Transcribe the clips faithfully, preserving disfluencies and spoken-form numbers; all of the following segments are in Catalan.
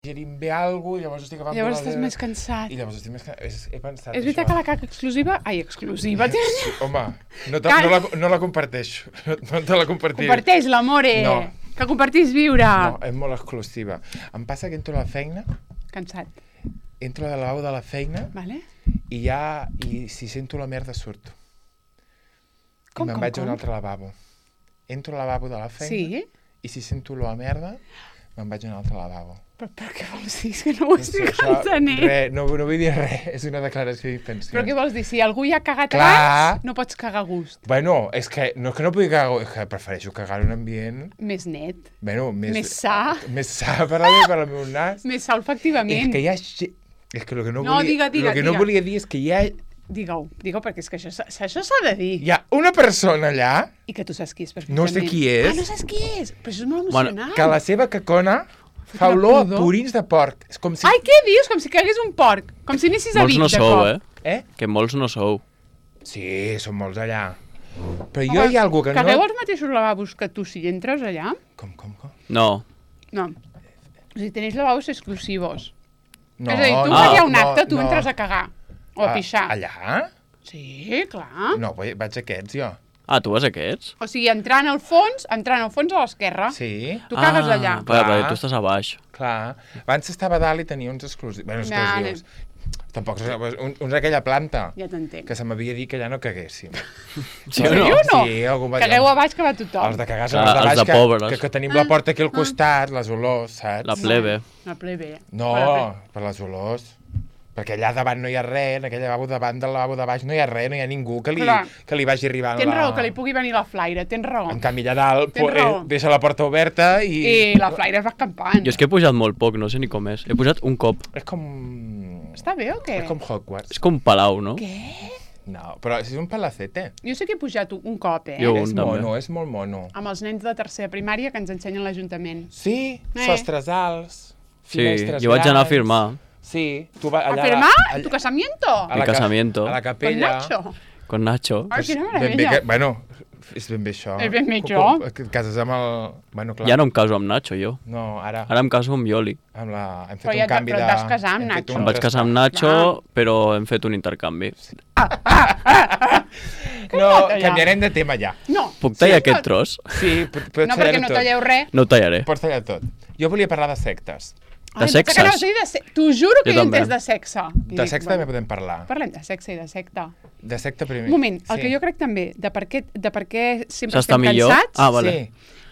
digerim bé alguna cosa, i llavors estic agafant... Llavors estàs més cansat. I llavors estic més cansat. És, he pensat És veritat això. que la caca exclusiva... Ai, exclusiva. Sí, home, no, te, no, la, no la comparteixo. No, no te la compartiré. Comparteix l'amore. No. Que compartís viure. No, és molt exclusiva. Em passa que entro a la feina... Cansat. Entro al lavabo de la feina... Vale. I ja... I si sento la merda surto. Com, I me'n com, vaig a un com? altre lavabo. Entro al lavabo de la feina... Sí? I si sento olor a merda, me'n vaig a un altre lavabo. Però, però què vols dir? És que no ho estic Això, entenent. Res, no, no vull dir res, és una declaració d'intencions. Però què vols dir? Si algú hi ha cagat Clar. abans, no pots cagar a gust. Bueno, és que no, que no pugui cagar, és que prefereixo cagar en un ambient... Més net. Bueno, més... Més sa. Més sa per, la, per al meu nas. Més sa olfactivament. És que hi ha... És que el que no, No, volia, diga, diga, el que no diga. volia dir és que hi ha... Digue-ho, digue-ho, perquè és que això, s'ha- això s'ha de dir. Hi ha una persona allà, I que tu saps qui és perfectament. no sé qui és, Ah, no saps qui és? Però això és molt Bueno, emocionant. que la seva cacona fa una olor a pudor. purins de porc. És com si... Ai, què dius? Com si cagués un porc. Com si anessis a Molts Vic no de sou, cop. eh? Eh? Que molts no sou. Sí, són molts allà. Però jo hi ha algú que Cagueu no... als mateixos lavabos que tu si entres allà? Com, com, com? No. No. O sigui, tenéis lavabos exclusivos. No, és a dir, tu no, vas a un no, acte, tu no. entres a cagar. O a Ah, pixar. Allà? Sí, clar. No, vaig vaig a aquests, jo. Ah, tu vas a aquests? O sigui, entrant al fons, entrant al fons a l'esquerra. Sí, Tu cagues ah, allà. Clar, Clar. perquè tu estàs a baix. clar. Abans estava a dalt i tenia uns exclusius. Bueno, Vale. exclusius. Tampoc, uns, uns d'aquella planta. Ja t'entenc. Que se m'havia dit que allà no caguéssim. Sí En o no? sèrio o no? Sí, algú va dir... Cagueu a baix que va tothom. Els de cagar són Clar, els de els baix, de que, pobres. que, que tenim la porta aquí al costat, les olors, saps? La plebe. La plebe. No, Bueno, per les olors. Perquè allà davant no hi ha res, en aquell lavabo davant del lavabo de baix no hi ha res, no hi ha ningú que li, Clar. que li vagi arribant Tens la... raó, que li pugui venir la flaire, tens raó. En canvi, allà dalt Tens po- eh, raó. deixa la porta oberta i... I la flaire va escampant. Jo és que he pujat molt poc, no sé ni com és. He pujat un cop. És com... Està bé o què? És com Hogwarts. És com Palau, no? Què? No, però és un palacete. Jo sé que he pujat un cop, eh? Jo És un també. mono, és molt mono. Amb els nens de tercera primària que ens ensenyen l'Ajuntament. Sí, Eh. sostres alts, Sí, finestres jo vaig anar a grans. firmar. Sí, tu vas ¿A allà... firmar? allà- ¿Tu casamiento? a Mi la ca- casamiento. A la Con capella. Nacho? Con Nacho. Ai, quina Ben bé meravella. que, bueno, és ben bé això. És ben bé Com- això. com- Que et cases amb el... Bueno, clar. Ja no em caso amb Nacho, jo. No, ara, Ara em caso amb Ioli. amb la... hem fet Però un ja et- canvi però de... et vas casar amb hem fet Nacho. un Em vaig casar amb traspàs. Nacho, però hem fet un intercanvi. No, va tallar? canviarem de tema ja. No. Puc tallar Sí, aquest tros? Sí, p- pots No, tallar perquè no tot. talleu res. No ho tallaré. Pots tallar tot. Jo volia parlar de sectes. De Ai, em pensa que no, sexes? soy de se... T'ho juro que Jo jo he també. entès de sexe. I De dic, sexe bueno, també podem parlar. Parlem de sexe i de secte. De secte primer. Un moment, el Sí. que jo crec també, de per què, de per què sempre S'està estem millor? cansats, Ah, vale.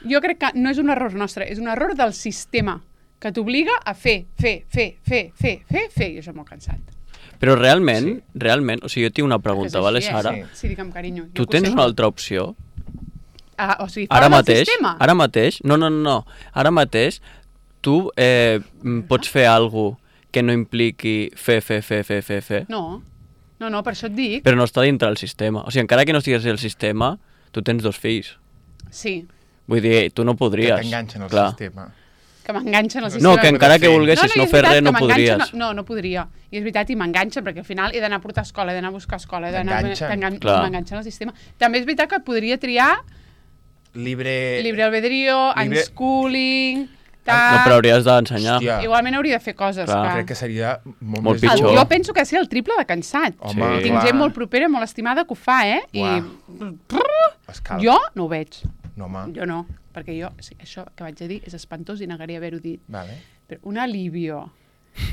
Sí. jo crec que no és un error nostre, és un error del sistema, que t'obliga a fer, fer, fer, fer, fer, fer, fer, i això m'ho ha cansat. Però realment, Sí. realment, o sigui, jo tinc una pregunta, És vale, així, eh? Sara? Sí. Sí, digue'm, carinyo. jo Tu que ho tens sé. una altra opció? Ah, o sigui, fora Ara del mateix, sistema. ara mateix, no, no, no, no, ara mateix, tu eh, mm, pots fer alguna cosa que no impliqui fer, fer, fer, fer, fer, fer, No, no, no, per això et dic. però no està dintre del sistema. O sigui, encara que no estigués al sistema, tu tens dos fills. Sí, Vull dir, tu no Que podries. t'enganxen al clar. sistema. que m'enganxen al sistema. No, que encara que fer. volguessis i no és fer veritat res, no que m'enganxen- podries. No, no podria. I és veritat, i m'enganxen, perquè al final he d'anar a portar escola, he d'anar a buscar escola, he d'anar... T'enganxen. t'engan- Clar. M'enganxen al sistema. També és veritat que podria triar Libre... libre albedrío, Libre- unschooling, No, tal... però hauries d'ensenyar. Hòstia. Igualment hauria de fer coses. Clar. que... Crec que seria molt, Molt més El, pitjor. jo penso que ser el triple de cansat. Home, Sí. Tinc clar. gent molt propera, molt estimada que ho fa, eh? Uah. I Escalf. jo no ho veig. No, home. Jo no, perquè jo, sí, això que vaig a dir és espantós i negaria haver-ho dit. Vale. Però un alivio.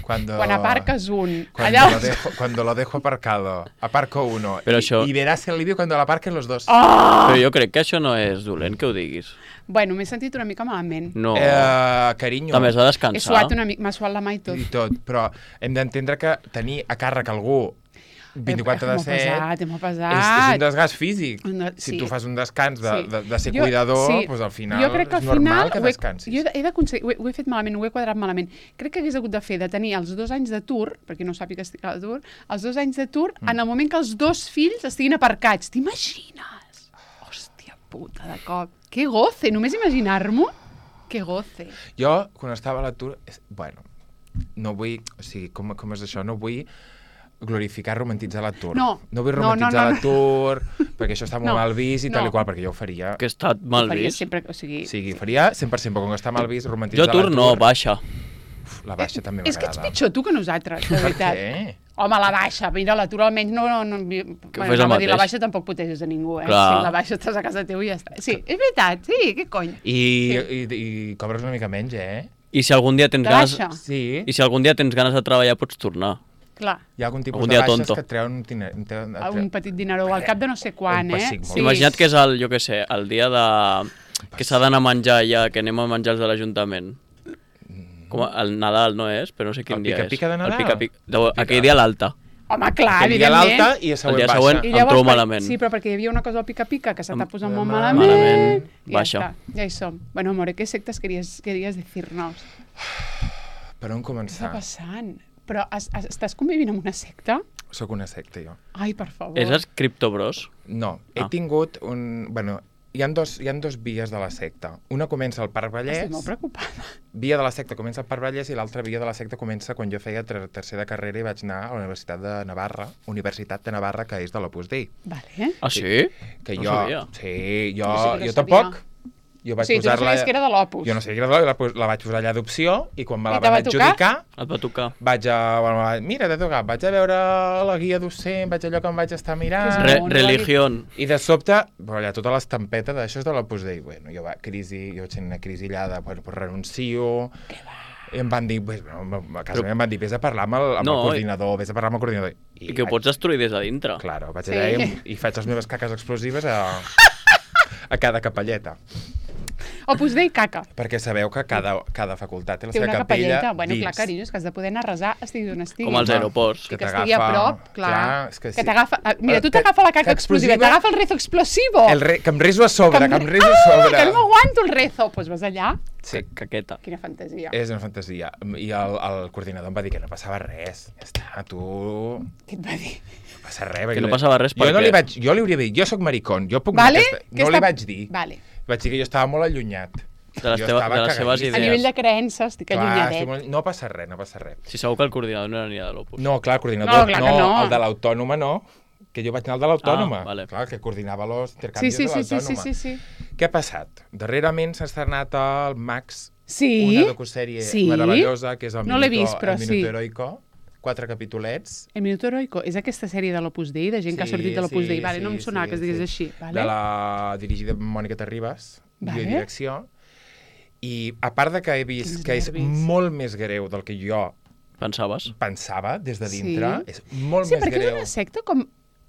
Cuando... Quan aparques un... Cuando, allà... lo dejo, cuando lo dejo aparcado, aparco uno. Pero y, això- y verás el alivio cuando lo aparquen los dos. Oh! Però jo crec que això no és dolent que ho diguis. Bueno, m'he sentit una mica malament. No. Eh, carinyo. També has de He descansar. suat una mica, m'ha suat la mà i tot. I tot, però hem d'entendre que tenir a càrrec algú vint-i-quatre de És molt set pesat, és molt pesat. és, és un desgast físic. No, Si sí. tu fas un descans de, Sí. de, de ser Jo- cuidador, sí. doncs al final jo crec que és al normal final que ho he, descansis. jo he, he, d'aconseguir- ho, he, ho he fet malament, ho he quadrat malament. Crec que hagués hagut de fer de tenir els dos anys d'atur, perquè no sàpiga que estic a l'atur, els dos anys d'atur mm. en el moment que els dos fills estiguin aparcats. T'imagines? Hòstia puta, de cop. Que goce, només imaginar-m'ho. Que goce. Jo, quan estava a l'atur, és- bueno, no vull, o sigui, com, com és això? No vull glorificar, romantitzar l'atur. No. No vull No, no, romantitzar no, no. l'atur, perquè això està molt No. mal vist i tal No. i qual, perquè jo ho faria. Que està mal Faria vist. sempre, o sigui... O sigui, faria cent per cent, però com que està mal vist, Jo romantitzar atur l'atur... no, baixa. Uf, la baixa també És que ets m'agrada. pitjor tu que nosaltres, de Per veritat. què? Home, la baixa, mira, l'atur almenys no... no, no bueno, fes el anava a dir, la mateix. baixa tampoc proteges a ningú, eh? Clar. Sí, la baixa estàs a casa teu i ja està. Sí, és veritat, sí, què cony. I, i, i cobres una mica menys, eh? I si algun dia tens De ganes... baixa? Sí. I si algun dia tens ganes de treballar, pots tornar. Clar, Hi ha algun tipus Algun de dia baixes tonto. que et treuen... Un, tine- un, te- a un petit dineró al cap de no sé quan, Un eh? pessic molt. Sí. Imagina't que és el, jo què sé, el dia de... que s'ha d'anar a menjar ja, que anem a menjar els de l'Ajuntament. Com a- el Nadal no és, però no sé quin El dia és. pica-pica de Nadal? El pica-pica. de- Aquell dia l'alta. Home, clar, Aquell dia evidentment. l'alta i el El següent dia baixa. següent I em llavors, trobo per- malament. Sí, però perquè hi havia una cosa al pica-pica que se t'ha posat molt malament. malament. Malament, I baixa. Ja, està, ja hi som. Bueno, amore, ¿qué sectes querías, querías decirnos? Per on Què està començar? passant? Però has, has, estàs convivint amb una secta? Soc una secta, jo. Ai, per favor. És els Crypto Bros? No, he Ah. tingut un... Bueno, hi ha, dos, hi ha dos vies de la secta. Una comença al Parc Vallès, Estic molt preocupada. via de la secta comença al Parc Vallès i l'altra via de la secta comença quan jo feia ter tercera de carrera i vaig anar a la Universitat de Navarra, Universitat de Navarra, que és de l'Opus Dei. Vale. Ah, sí? Que No jo... sabia. Sí, jo, Jo sí que no jo sabia. tampoc. Jo vaig Sí, tu no posar-la... sabies que era de l'Opus. Jo no sabia que era de l'Opus, la vaig posar allà d'opció i quan me la I te va van tocar? adjudicar Et va tocar. vaig a... Bueno, va- mira, t'ha tocat, vaig a veure la guia docent, vaig allò que em vaig estar mirant... Que és Re no, no religión. I de sobte, però allà tota l'estampeta d'això és de l'Opus Dei. Bueno, jo va, crisi, jo vaig tenir una crisi allà de, bueno, pues renuncio... I em van dir, pues, bueno, a casa Però- meva em van dir, vés a parlar amb el, amb No, el coordinador, vés a parlar amb el coordinador. I que ho pots destruir des de dintre. Claro, vaig Sí. allà i, i faig les meves caques explosives a, a cada capelleta. Opus Dei caca. Perquè sabeu que cada, cada facultat té la Té seva una capella capelleta. Bueno, dins. clar, carinyo, és que has de poder anar a resar, estigui on estigui. Com als Home, aeroports. I que estigui a t'agafa- prop, clar. clar, és que que sí. t'agafa... ah, Mira, tu Que- t'agafa la caca que explosiva, explosiva- t'agafa el rezo explosivo. El re, que em reso a sobre, que, em- em reso a sobre. Ah, que no m'aguanto el rezo. Doncs pues vas allà. Sí, Caqueta. Quina fantasia. és una fantasia. I el, el coordinador em va dir que no passava res. Ja està, tu... Què et va dir? No passa res. Que perquè no passava res jo no perquè- li vaig, jo li hauria dit, jo sóc maricón, jo puc Vale? anar a aquesta... Que No està- li vaig dir. Vale. Vaig dir que jo estava molt allunyat. De les, Jo teva, estava de les seves cagadíssim. A idees. nivell de creences, estic Clar, allunyadet. estic molt... No passa res, no passa res. Si segur que el coordinador no aniria de l'Opus. No, clar, el coordinador, No, clar que no. el de l'autònoma no, que jo vaig anar al de l'autònoma. Ah, vale. Clar, que coordinava els Sí, intercanvis sí, de sí, sí, l'autònoma. sí, sí, sí. Què ha passat? Darrerament s'ha estrenat el Max, Sí? una docusèrie Sí? meravellosa, que és el No l'he Minuto, vist, però el Minuto sí. Heroico, quatre capitolets. El Minuto Heroico és aquesta sèrie de l'Opus Dei, de gent que ha sortit de l'Opus Dei. Vale, no em sonava que es digués així. Vale? De la dirigida per Mònica Terribas, Vale. vale. direcció. I a part de que he vist Quins que és nervis. molt més greu del que jo Pensaves? pensava des de dintre, Sí. és molt Sí, més perquè és greu. una secta com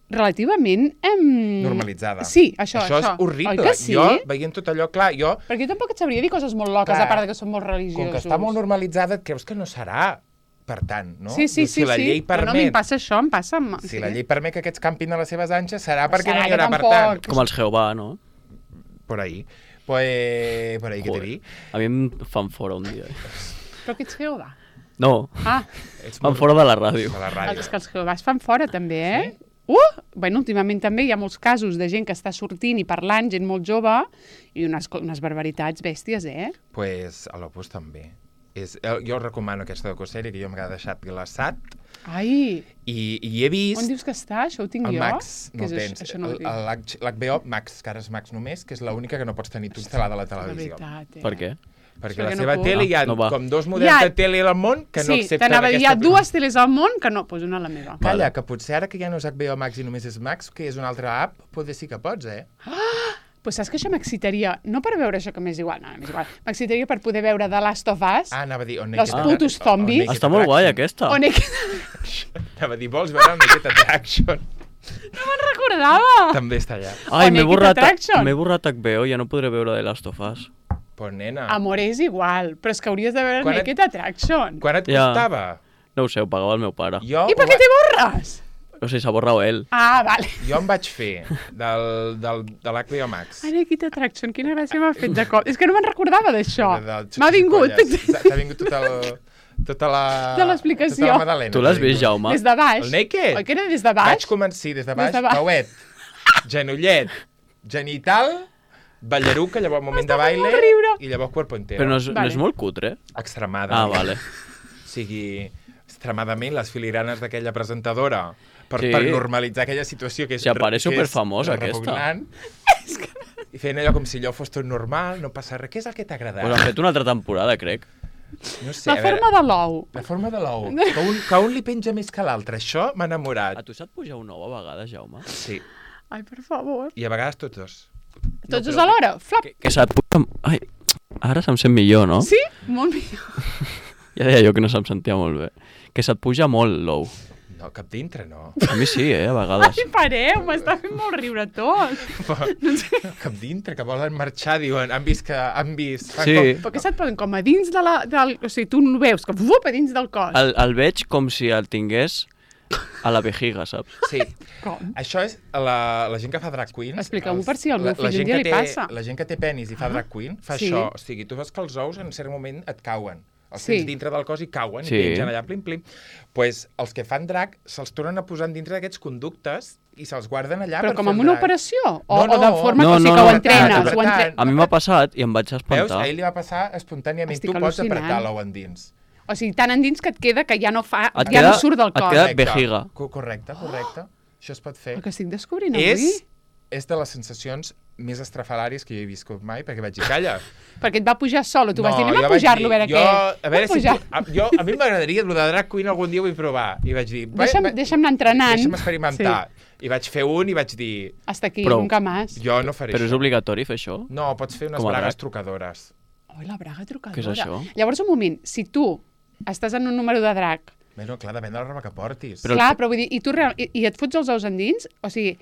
relativament... Em... Normalitzada. Sí, això, això. això. és horrible. Oi que sí? Jo, veient tot allò, clar, jo, Perquè jo tampoc et sabria dir coses molt loques, Clar, a part de que són molt religiosos. com que està molt normalitzada, et creus que no serà per tant, no? Sí, sí, Dius, sí, si la sí. llei Però no, a mi permet, em passa això, em passa... Amb... si la llei permet que aquests campin a les seves anxes, serà perquè Serà no hi que haurà per tampoc. tant. Com els Jehovà, no? Por ahí. Pues, por ahí que te vi. A mi em fan fora un dia. Però que ets Jehovà. No, Ah, Ets fan molt- fora de la ràdio. de la ràdio. els que els Jehovàs fan fora també, eh? Sí? Uh! Bueno, últimament també hi ha molts casos de gent que està sortint i parlant, gent molt jove, i unes, co- unes barbaritats bèsties, eh? Pues a l'Opus també. És, eh, jo recomano aquesta docusèrie que jo m'ha deixat glaçat Ai, i, i he vist on dius que està? Això ho tinc el jo? Max, Què no és el això? tens. Això no ho El- tinc. el H- L'H B O Max, que ara és Max només, que és l'única que no pots tenir tu instal·lada a la De televisió. veritat, eh? Per què? Perquè Perquè la no seva puc. tele hi ha Ah, no va. com dos models Hi ha- de tele al món que no sí, accepten t'anava a dir, hi aquesta... ha dues teles al món que no, doncs una a la meva. Calla, Vale. que potser ara que ja no és H B O Max i només és Max, que és una altra app, potser sí que pots, eh? Pues saps que això m'excitaria, no per veure això que m'és igual, no, m'és igual, m'excitaria per poder veure The Last of Us, Ah, anava a dir... On Els putos zombies. Està molt guai, aquesta. on he... Anava a dir, vols veure el Naked Attraction? no me'n recordava! També està allà. Ai, O m'he Naked borrat, Attraction. m'he borrat H B O, ja no podré veure The Last of Us. Pues nena, Amor, és igual, però és que hauries de veure Quan et- Naked Attraction. quan et Ja. costava? No ho sé, ho pagava el meu pare. Jo, I per ho què va- te borres? O sigui, s'ha borrat ell. Ah, vale. jo em vaig fer del, del, de l'H B O Max. Ai, Naked Attraction, quina gràcia m'ha fet de cop. És que no me'n recordava d'això. De- del M'ha vingut. Xixipolles. T'ha vingut tot el, tota la... Tota l'explicació. Tota la Madalena. Tu l'has t'ha vist, vingut. Jaume? Des de baix. El Naked? Oi que era des de baix? Vaig començar, sí, des de baix, Des de baix. pauet, genollet, genital, ballaruc, que llavors moment de M'està fent baile, molt riure. i llavors cuerpo entero. Però no és, Vale. no és molt cutre? Extremadament. Ah, vale. O sigui, extremadament les filigranes d'aquella presentadora per, Sí. per normalitzar aquella situació que és... Si apareix que és superfamosa, aquesta. repugnant. I feien allò com si allò fos tot normal, no passa res. Què és el que t'ha agradat? Pues han fet una altra temporada, crec. No sé, La forma de l'ou. La forma de l'ou. Que, un, que un li penja més que l'altre. Això m'ha enamorat. A tu se't puja un ou a vegades, Jaume? Sí. Ai, per favor. I a vegades tots dos. Tots dos alhora? Flop. Que, que se't puja... Ai, ara se'm sent millor, no? Sí? Molt millor. Ja deia jo que no se'm sentia molt bé. Que se't puja molt l'ou. No, cap dintre, no. A mi sí, eh, a vegades. Ai, pareu, m'està fent molt riure tot. Cap dintre, que volen marxar, diuen, han vist que... Han vist... fan Sí. Com... Però què se't posen? Com a dins de la... Del... O sigui, tu no veus, que fup, a dins del cos. El, el veig com si el tingués a la vejiga, saps? Sí. Com? Això és la, la gent que fa drag queen. Expliqueu-m'ho per si al meu la- la fill un gent dia que li té- passa. La gent que té penis i fa drag queen fa Sí. això. O sigui, tu veus que els ous en cert moment et cauen. Els Sí. tens dintre del cos i cauen, Sí. i pengen allà, plim, plim. Pues, els que fan drag se'ls tornen a posar dintre d'aquests conductes i se'ls guarden allà Però per com fer amb el una drag. operació? O, No, o de no. forma No, que, o sigui, no, que ho no, entrenes? apretant, Ho entre... apretant. A mi m'ha passat i em vaig Veus? espantar. A ell li va passar espontàniament. Estic Tu pots al·lucinant. apretar l'ou endins. O sigui, tan endins que et queda que ja no fa... Et ja queda- no surt del et cos. queda- Correcte. vejiga. Co- Correcte, correcte. Això es pot fer. El que estic descobrint avui... És, és de les sensacions més estrafalàries que jo he viscut mai, perquè vaig dir, calla. Perquè et va pujar sol, o tu vas dir, anem jo a vaig pujar-lo a veure jo, què. A, veure Anem si, pujar. a, jo, a mi m'agradaria, el de drag queen algun dia ho vull provar. I vaig dir... va- Deixa'm, va- deixa'm anar entrenant. Deixa'm experimentar. I vaig fer un i vaig dir, Hasta aquí, Prou. nunca más. jo no faré Però és això. obligatori fer això? No, pots fer unes Com a bragues drac. trucadores. Oi, la braga trucadora. Què és això? Llavors, un moment, si tu estàs en un número de drac, Bueno, clar, depèn de la roba que portis. Però- clar, però vull dir, i tu real, i, i et fots els ous endins, o sigui,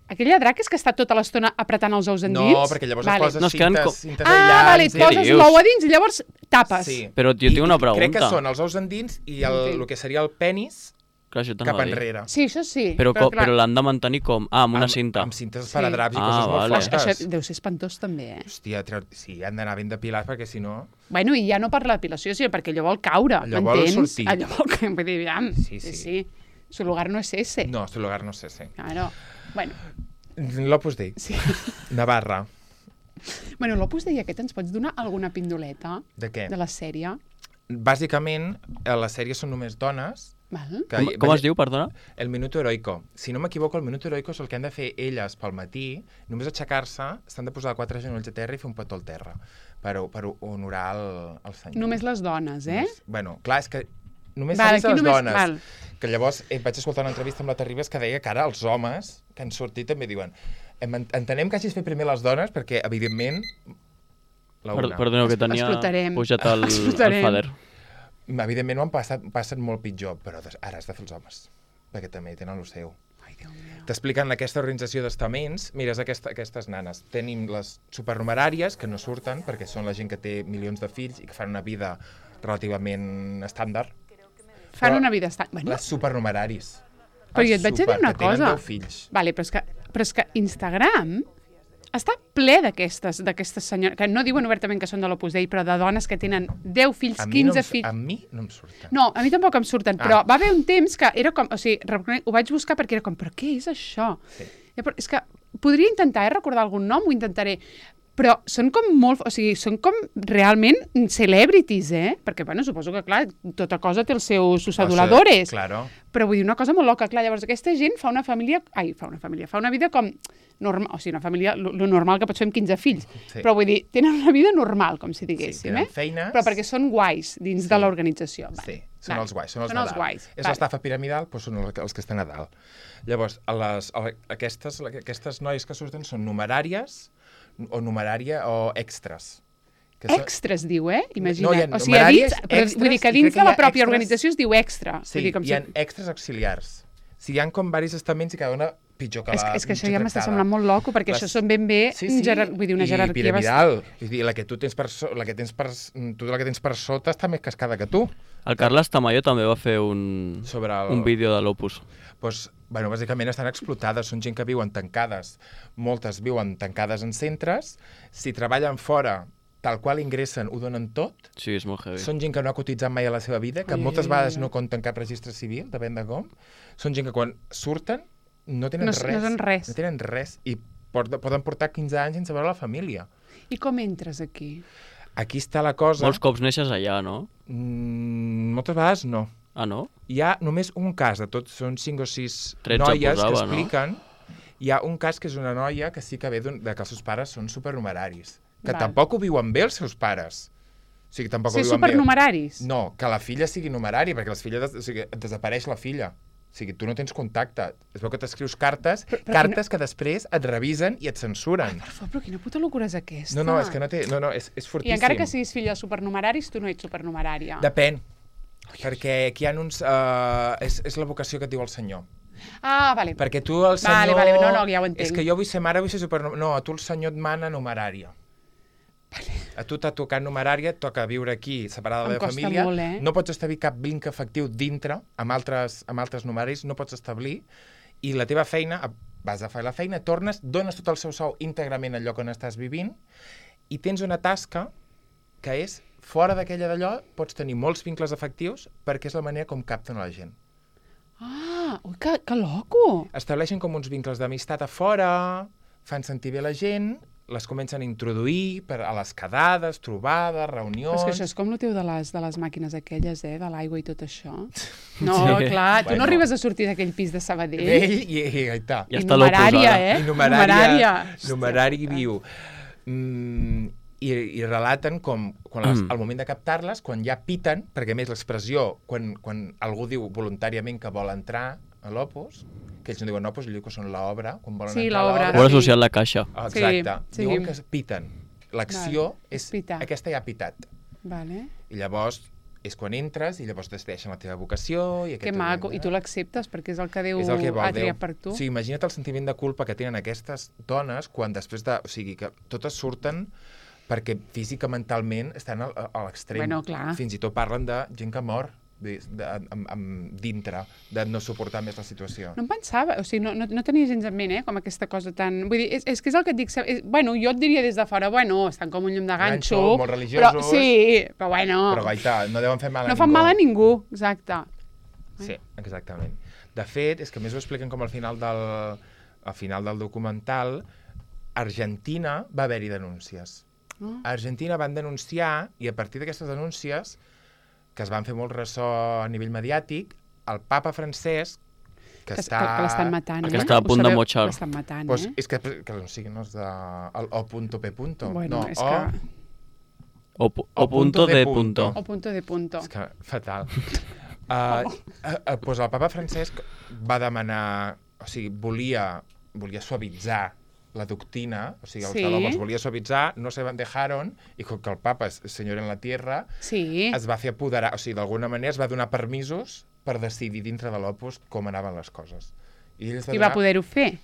aquella drac és que està tota l'estona apretant els ous endins? No, perquè llavors vale. et poses No, es queden cintes, com- cintes Ah, aïllants. vale, et i- poses dius? l'ou a dins i llavors tapes. Sí. Però jo tinc una I crec que pregunta. són els ous endins i el, Entenc. el que seria el penis Clar, això cap t'anava a dir. enrere. Sí, això sí. Però, co- clar, però l'han de mantenir com? Ah, amb una Amb- cinta. Amb cintes Sí. paradraps i Ah, coses molt vale. fosques. això deu ser espantós també, eh? Hòstia, treu... sí, han d'anar ben depilats perquè si no... Bueno, i ja no per la depilació, sinó perquè allò vol caure, Allò vol m'entens? sortir. Allò vol caure, vull dir, aviam, Sí, sí, sí. sí. Su lugar no es ese. No, este lugar no sé, sí. Claro. Bueno, L'Opus Dei. sí. Navarra. Bueno, l'Opus Dei aquest ens pots donar alguna pindoleta De què? de la sèrie? Bàsicament, a la sèrie són només dones. Val? Que, Com, com es diu, perdona? El Minuto Heroico. Si no m'equivoco, el Minuto Heroico és el que han de fer elles pel matí. Només aixecar-se, s'han de posar quatre genolls a terra i fer un petó al terra per, per honorar el, el senyor. Només les dones, eh? Només- Bueno, clar, és que només Val, s'ha vist a aquí les només- dones. val. Que llavors eh, vaig escoltar una entrevista amb la Terribas que deia que ara els homes que han sortit també diuen "Em- entenem que hagis fet primer les dones perquè, evidentment, la Per, una. perdoneu, que tenia Explotarem. pujat el, el Explotarem. fader. Evidentment ho han passat, passen molt pitjor, però des- ara has de fer els homes, perquè també tenen el seu. Ai, Déu meu. T'expliquen aquesta organització d'estaments, mires aquesta, aquestes nanes. Tenim les supernumeràries, que no surten, perquè són la gent que té milions de fills i que fan una vida relativament estàndard. Fan Però una vida estant... Bueno, Les supernumeraris. però jo Els et vaig a dir super, una que tenen cosa. deu fills. Vale, però és que, però és que Instagram està ple d'aquestes d'aquestes senyores, que no diuen obertament que són de l'Opus Dei, però de dones que tenen deu fills, A mi no quinze em, fills... a mi no em surten. No, a mi tampoc em surten, Ah. però va haver un temps que era com... O sigui, reconec- ho vaig buscar perquè era com, però què és això? Sí. Ja, però és que podria intentar eh, recordar algun nom, ho intentaré, però són com molt... O sigui, són com realment celebrities, eh? Perquè, bueno, suposo que, clar, tota cosa té els seus sus aduladores. Claro. Però vull dir, una cosa molt loca, clar, llavors aquesta gent fa una família... Ai, fa una família, fa una vida com... Normal, o sigui, una família, lo, lo normal que pots fer amb quinze fills. Sí. Però vull dir, tenen una vida normal, com si Sí, diguéssim, tenen eh? feines. Però perquè són guais dins de l'organització. Sí, Vale. són Vale. els guais, són els són de els dalt. guais. És Vale. l'estafa piramidal, doncs són els, els que estan a dalt. Llavors, a les, a aquestes, aquestes noies que surten són numeràries o numerària o extres. Que són- Extras, diu, eh? Imagina't. No, hi ha o sigui, a numeràries, dins, però, extras, vull dir que i crec dins que de hi la ha pròpia extras- organització es diu extra. Sí, vull dir, com hi ha si... extres auxiliars. Si hi ha com diversos estaments i cada una pitjor que És, la que- és que això mitja ja m'està tractada. semblant molt loco, perquè Les- això són ben bé, Sí, sí. gerar... vull dir, una jerarquia... I piramidal. Vull dir, la que tu tens per, so... la que tens per... tu la que tens per sota està més cascada que tu. El Carles Tamayo també va fer un, Sobre el... un vídeo de l'Opus. Pues, bueno, bàsicament estan explotades, són gent que viuen tancades, moltes viuen tancades en centres, si treballen fora, tal qual ingressen, ho donen tot, Sí, és molt heavy. són gent que no ha cotitzat mai a la seva vida, que Ai, moltes ai, vegades ai. no compten cap registre civil, depèn de com, són gent que quan surten no tenen No- res. no són res. No tenen res, i porta, poden portar quinze anys sense veure la família. I com entres aquí? Aquí està la cosa... Molts cops neixes allà, no? Mm, moltes vegades no. Ah, no? Hi ha només un cas, de tots són cinc o sis tretze noies posava, que no? expliquen. Hi ha un cas que és una noia que sí que ve d'un- de que els seus pares són supernumeraris. Que Val. tampoc ho viuen bé els seus pares. O sigui, tampoc Ser ho diuen bé. supernumeraris. No, que la filla sigui numerari, perquè les filles, o sigui, et desapareix la filla. O sigui, tu no tens contacte. Es veu que t'escrius cartes, Però- però cartes que després et revisen i et censuren. Per favor, però quina puta locura és aquesta? No, no, és que no té... No, no, és, és I fortíssim. encara que siguis filla de supernumeraris, tu no ets supernumerària. Depèn. Perquè aquí hi ha uns... Uh, és, és la vocació que et diu el senyor. Ah, vale. Perquè tu, el senyor... Vale, vale, no, no, ja ho entenc. És que jo vull ser mare, vull ser supernumerària. No, a tu el senyor et mana numerària. Vale. A tu t'ha tocat numerària, et toca viure aquí, separada de Em la costa família. molt, eh? No pots establir cap vincle efectiu dintre, amb altres, amb altres numeraris, no pots establir. I la teva feina, vas a fer la feina, tornes, dones tot el seu sou íntegrament al lloc on estàs vivint i tens una tasca que és, fora d'aquella d'allò, pots tenir molts vincles efectius perquè és la manera com capten a la gent. Ah, ui, que, que loco! Estableixen com uns vincles d'amistat a fora, fan sentir bé la gent, les comencen a introduir per a les quedades, trobades, Però reunions... és que això és com el teu de les, de les màquines aquelles, eh? De l'aigua i tot això. No, Sí. clar, tu Bueno. no arribes a sortir d'aquell pis de Sabadell. Ell i, i, i, i, I I està numerària, l'opus, eh? I numerària, Hòstia. numerari viu. Mm, i, I relaten com, quan les, Mm. al moment de captar-les, quan ja piten, perquè a més l'expressió, quan, quan algú diu voluntàriament que vol entrar a l'opus, que ells no diuen opus, ells diuen que són l'obra, quan volen Sí, entrar a l'obra. l'obra. Ho ha Sí. associat la caixa. Ah, exacte. Sí, sí. Diuen que es piten. L'acció Val, és... és pitar. Aquesta ja ha pitat. Vale. I llavors és quan entres i llavors decideixen la teva vocació. I Que maco. I tu l'acceptes perquè és el que Déu és el que vol ha Déu. triat per tu. O sigui, imagina't el sentiment de culpa que tenen aquestes dones quan després de... O sigui, que totes surten perquè física, mentalment, estan a, a l'extrem. Bueno, clar. Fins i tot parlen de gent que mor de, de, amb, amb, dintre, de no suportar més la situació. No em pensava, o sigui, no, no, no tenia gens en ment, eh, com aquesta cosa tan... Vull dir, és, és que és el que et dic, és, bueno, jo et diria des de fora, bueno, estan com un llum de ganxo, Ganxo, molt religiosos. però, sí, però bueno, Però, gaita, no deuen fer mal a no ningú. fan mal a ningú, exacte. Sí, exactament. De fet, és que a més ho expliquen com al final del, al final del documental, a Argentina va haver-hi denúncies. Oh. A Argentina van denunciar, i a partir d'aquestes denúncies, que es van fer molt ressò a nivell mediàtic, el papa Francesc, que, Que, està... que, que l'estan matant, que eh? està a punt Ho de sabeu? motxar. L'estan matant, Pues, eh? és que, que no sigui, no és de... El O.P. Bueno, no, és o, que... O, pu- o punto de punto. O punto de punto. És que fatal. uh, uh, pues el papa Francesc va demanar... O sigui, volia, volia suavitzar la doctrina, o sigui, els Sí. de l'Opus volia suavitzar, no se dejaron, i com que el papa és senyor en la tierra, Sí. es va fer apoderar, o sigui, d'alguna manera es va donar permisos per decidir dintre de l'Opus com anaven les coses. I, ells I va poder-ho fer.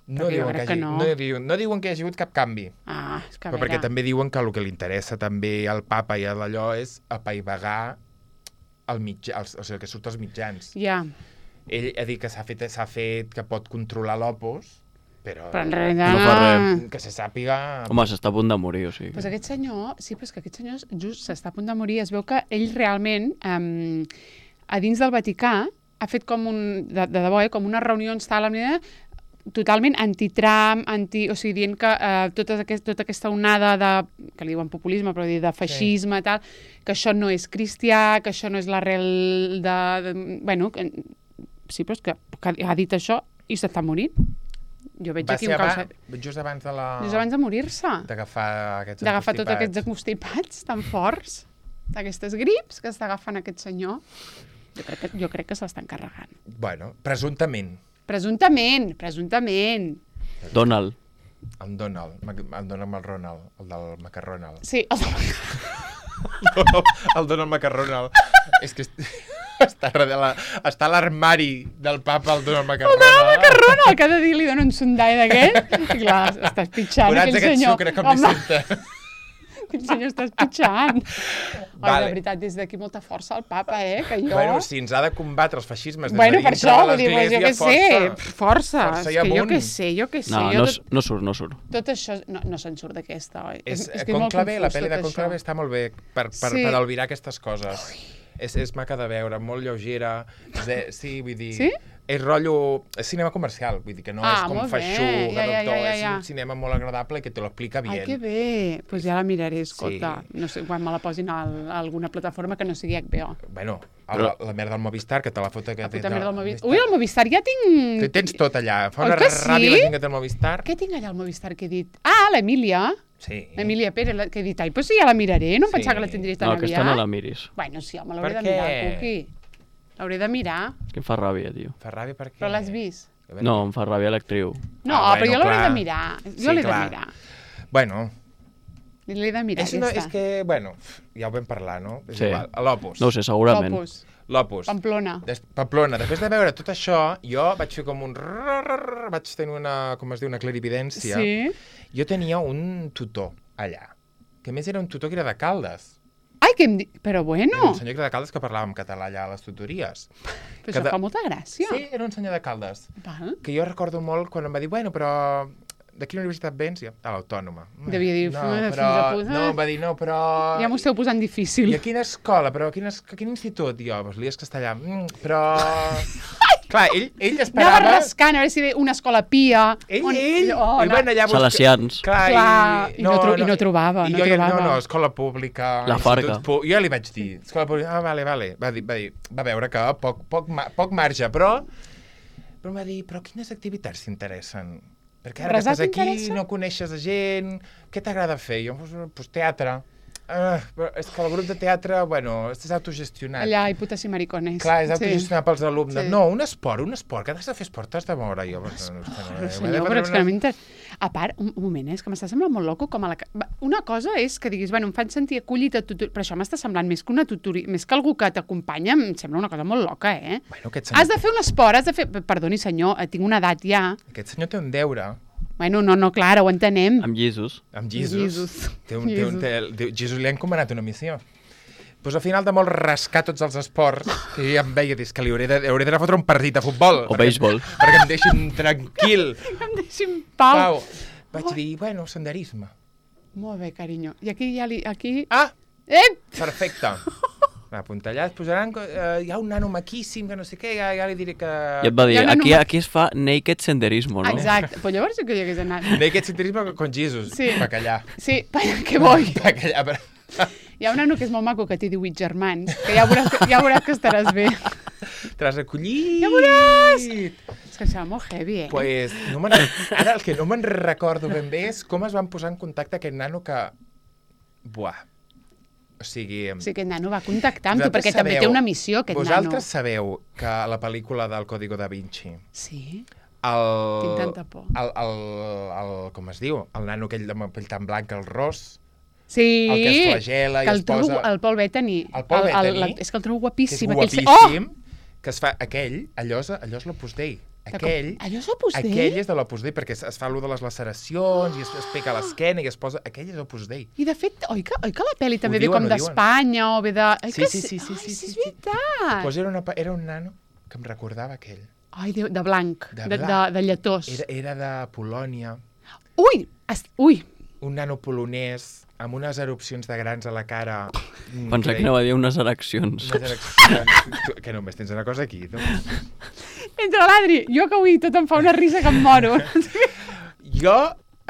No perquè jo diuen, que crec que hagi, no. no. diuen, no diuen que hi hagi hagut cap canvi. Ah, és que a Però veure... perquè també diuen que el que li interessa també al papa i a d'allò és apaivagar el mitjà, els, o sigui, el que surt als mitjans. Ja, Ell ha dit que s'ha fet, s'ha fet, que pot controlar l'Opus, però, però en realitat... No fa res. que se sàpiga... Home, s'està a punt de morir, o sigui. Pues aquest senyor, sí, però és que aquest senyor just s'està a punt de morir. Es veu que ell realment, um, a dins del Vaticà, ha fet com un, de, de debò, eh, com unes reunions tal, totalment anti-Trump, anti, o sigui, dient que uh, tota, aquest, tota aquesta onada de, que li diuen populisme, però dir de feixisme, sí. tal, que això no és cristià, que això no és l'arrel de, de... Bueno, que, sí, però és que, que ha dit això i s'està morint. Jo veig Va aquí ser un abans, calçat... just abans de la... Just abans de morir-se. D'agafar aquests D'agafar tots encostipats. aquests acostipats tan forts, d'aquestes grips que està agafant aquest senyor. Jo crec que, jo crec que se'l'estan carregant. Bueno, presumptament. Presumptament, presumptament. Donald. El Donald, el Donald amb el Ronald, el del Macarronald. Sí, el... El Donald Macarronald. És que est- està, darrere la, està a l'armari del papa, el Donald Macarronald. El Donald Macarrona, cada dia li dona un sondall d'aquest. I clar, estàs pitjant Curats aquell aquest senyor. sucre com li senta. Aquell senyor estàs pitjant. Oi, Vale. de veritat, des d'aquí molta força al papa, eh? Que jo... Bueno, si ens ha de combatre els feixismes des Bueno, de per dintre això, de vull dir, pues, jo l'església, què sé, força. força, Força és i que jo amunt. què sé, jo què sé. No, jo no, tot, no surt, no surt. tot això, no, no se'n surt d'aquesta, oi? És, que és molt Conclave, la confús pel·li de tot Conclave això. està molt bé per, per, Sí. per albirar aquestes coses. És, és maca de veure, molt lleugera. De, sí, vull dir... Sí? És rotllo... És cinema comercial, vull dir que no Ah, és com molt bé. feixuc, Ja, ja, doctor, ja, ja, ja. és un cinema molt agradable i que te lo explica Ai, bien. que bé. Doncs pues ja la miraré, escolta. Sí. No sé, quan me la posin a, a alguna plataforma que no sigui H B O. Bueno, a Però- la, la merda del Movistar, que te la fota... Que La té puta de- merda del Movistar. Ui, el Movistar ja tinc... Te- Tens tot allà. Fa Oi una que ràbia sí? la gent que té el Movistar. Què tinc allà al Movistar que he dit? Ah, l'Emília. Sí. Emilia Pérez, la- que he dit, ai, pues sí, ja la miraré, no em Sí. pensava que la tindria tan No, aviat. aquesta no la miris. Bueno, sí, home, l'hauré Per de mirar, què? Cuqui. L'hauré de mirar. És que em fa ràbia, tio. Fa ràbia perquè... Però l'has vist? No, em fa ràbia l'actriu. No, Ah, però bueno, jo l'hauré clar. de mirar. Jo Sí, l'he de clar. mirar. Bueno, L'he de mirar, és, una, és aquesta. que, bueno, ja ho vam parlar, no? És Sí. igual. L'Opus. No ho sé, segurament. Opus, L'Opus. Pamplona. Des, Pamplona. Després de veure tot això, jo vaig fer com un... rrrr, vaig tenir una, com es diu, una clarividència. Sí? Jo tenia un tutor allà, que a més era un tutor que era de Caldes. Ai, que em di... Però Era bueno, un senyor que era de Caldes que parlava en català allà a les tutories. però que això de- fa molta gràcia. Sí, era un senyor de Caldes. Val? Que jo recordo molt quan em va dir, bueno, però de quina universitat vens? I jo, a l'Autònoma. Devia dir, no, "Fills de però, puta". no, em va dir, no, però... Ja m'ho esteu posant difícil. I a quina escola? Però a quin, es- a quin institut? I jo, doncs l'I E S Castellà. Mm, però... Clar, ell, ell Anava esperava... rascant a veure si ve una escola pia. Ell, on- ell, Oh, ell no. va anar allà a buscar... Salesians. Clar, Clar, i no tro- i no trobava, I no jo, trobava. No, no, escola pública... La institut Farga. pu- Jo li vaig dir, escola pública... Ah, vale, vale. Va dir, va dir, va veure que poc, poc, ma- poc marge, però... Però em va dir, però quines activitats t'interessen? Perquè ara que Resar estàs aquí, t'interessa? no coneixes a gent... Què t'agrada fer? Jo, doncs, pues, teatre. Uh, però és que el grup de teatre, bueno, és autogestionat. Allà, i putes i maricones. Clar, és Sí. autogestionat pels alumnes. Sí. No, un esport, un esport, que has de fer esport, t'has de moure. Jo, pues, no, no, no, Però, senyor, però és que no m'interessa. A part, un, un moment, eh, és que m'està semblant molt loco com a la... ca- Va, una cosa és que diguis, bueno, em fan sentir acollit a tutor... Però això m'està semblant més que una tutoria, més que algú que t'acompanya, em sembla una cosa molt loca, eh? Bueno, aquest senyor, Has de fer un esport, has de fer... Perdoni, senyor, eh, tinc una edat ja. aquest senyor té un deure Bueno, no, no, clar, ho entenem. Amb Jesus. amb Jesus. Jesus. Té un, té un, Jesus. té, té, Jesus li ha encomanat una missió. Pues al final de molt rascar tots els esports, que jo ja em veia, dius que li hauré de- hauré d'anar a fotre un partit de futbol. O perquè- béisbol. Perquè em deixin tranquil. Em deixin pau. Pau. Vaig dir, bueno, senderisme. Molt bé, carinyo. I aquí ja li... Aquí... Ah, Eh! perfecte. Apuntallat, posaran... Eh, hi ha un nano maquíssim, que no sé què, ja, ja li diré que... I et va dir, Hi ha una aquí, numa- aquí es fa naked senderismo, no? Exacte. Però llavors sí que hi hagués anat. Naked senderisme con Jesus. Sí. Bacallà. Sí, que vull. Bacallà. però- Hi ha un nano que és molt maco, que té divuit germans, que ja veuràs que, ja veuràs que estaràs bé. T'has recollit. Ja veuràs! És que em sembla molt heavy, eh? Pues, no me'n- ara el que no me'n recordo ben bé és com es van posar en contacte aquest nano que... Buah. O sigui... O sigui, aquest nano va contactar amb tu, vosaltres perquè també té sabeu- una missió, aquest Vosaltres nano. sabeu que a la pel·lícula del Código da Vinci, Sí? el... Tinc tanta por. El, el, el, com es diu? El nano aquell amb el pell tan blanc, el ros, Sí, el que es flagela i que es el trobo, posa... el Paul Bettany. El Paul Bettany. la- és que el trobo que és guapíssim. aquell se- guapíssim, que es fa... Aquell, allò és, allò és l'Opus Dei. Oh! Aquell... Allò és Opus Dei? Aquell és de l'Opus Dei, perquè es, es fa allò de les laceracions i es, es pica l'esquena i es posa... Aquell és Opus Dei. I de fet, oi que, oi que la pel·li també Ho ve diuen, com ho diuen. d'Espanya o ve de... Oi Sí, que sí, sí, sí, Ai, sí, sí, sí, és sí. veritat. Pues era, una, pa- era un nano que em recordava aquell. Ai, de, de blanc, De de, de, blanc. de lletós. Era, era de Polònia, Ui, es, ui, un nano polonès amb unes erupcions de grans a la cara. Mm, Pensava que anava a dir unes ereccions. Unes ereccions. Tu, que només tens una cosa aquí, no? entre l'Adri, jo que avui tot em fa una risa que em moro. Jo,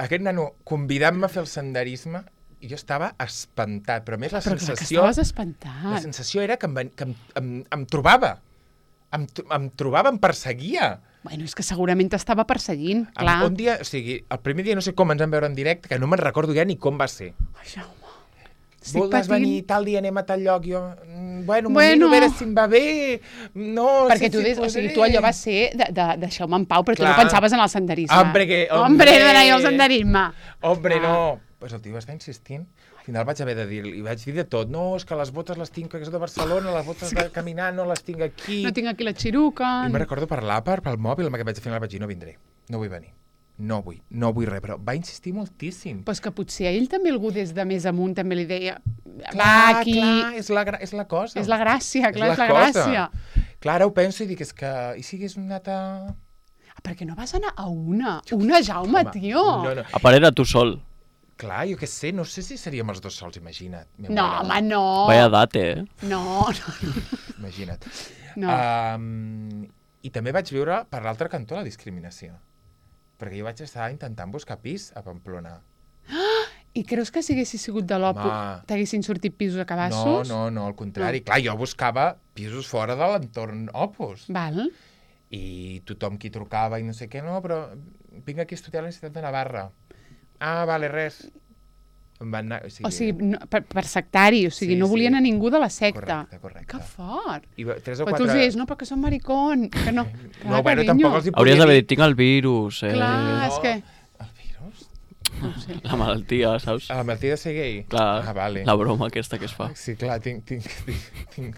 aquest nano, convidant-me a fer el senderisme, jo estava espantat, però a més la Però clar que sensació... estaves La espantat. sensació era que em, ven- que em, em, em trobava. Em, tro- em trobava, em perseguia. Bueno, és que segurament t'estava perseguint, Em- clar. Un dia, o sigui, el primer dia no sé com ens vam veure en directe, que no me'n recordo ja ni com va ser. Ai, Jaume. Estic Voldràs patint. venir tal dia, anem a tal lloc, jo... mm, Bueno, m'ho Bueno. miro a veure si em va bé... No, Perquè sí, tu, sí, des, o sigui, podré. tu allò va ser de, de, deixeu-me en pau, però tu Clar. no pensaves en el senderisme. Hombre, que- Hombre, hombre. d'anar al senderisme. Hombre, Ah. no. Pues el tio va estar insistint. Al final vaig haver de dir, li vaig dir de tot. No, és que les botes les tinc, que és de Barcelona, les botes de caminar no les tinc aquí. No tinc aquí la xiruca. I me'n recordo parlar per, pel mòbil, amb aquest vaig, al final vaig dir, no vindré, no vull venir. No vull, no vull res, però va insistir moltíssim. Pues que potser a ell també algú des de més amunt també li deia va, Clar, aquí... clar, és la, gra- és la cosa. És la gràcia, clar, és la, cosa. gràcia. Clar, ara ho penso i dic, és que... I si hagués anat a... Ah, per què no vas anar a una? Una, Jaume, Home, tio. No, no. A part era tu sol. Clar, jo què sé, no sé si seríem els dos sols, imagina't. Me No, muero. home, no. Vaya date, eh? No, no, Imagina't. no. Um, I també vaig viure per l'altre cantó la discriminació. Perquè jo vaig estar intentant buscar pis a Pamplona. I creus que si haguessis sigut de l'Opus Home. t'haguessin sortit pisos a No, cabassos? no, no, al contrari. Clar, jo buscava pisos fora de l'entorn Opus. Val. I tothom qui trucava i no sé què, no, però vinc aquí a estudiar a la Universitat de Navarra. Ah, vale, res. Em van anar, o sigui, O sigui, no, per, per sectari, o sigui, Sí, no volien sí. a ningú de la secta. Correcte, correcte. Que fort. I va- tres o Però tu quatre... els dius, no, perquè són maricón. Que no, No, bueno, tampoc els hi Hauries podia d'haver dir. dit, tinc el virus, eh? Clar, No. és que... El virus? No ho sé. La malaltia, saps? A la malaltia de ser gay? Clar, Ah, vale. la broma aquesta que es fa. Sí, clar, tinc, tinc, tinc, tinc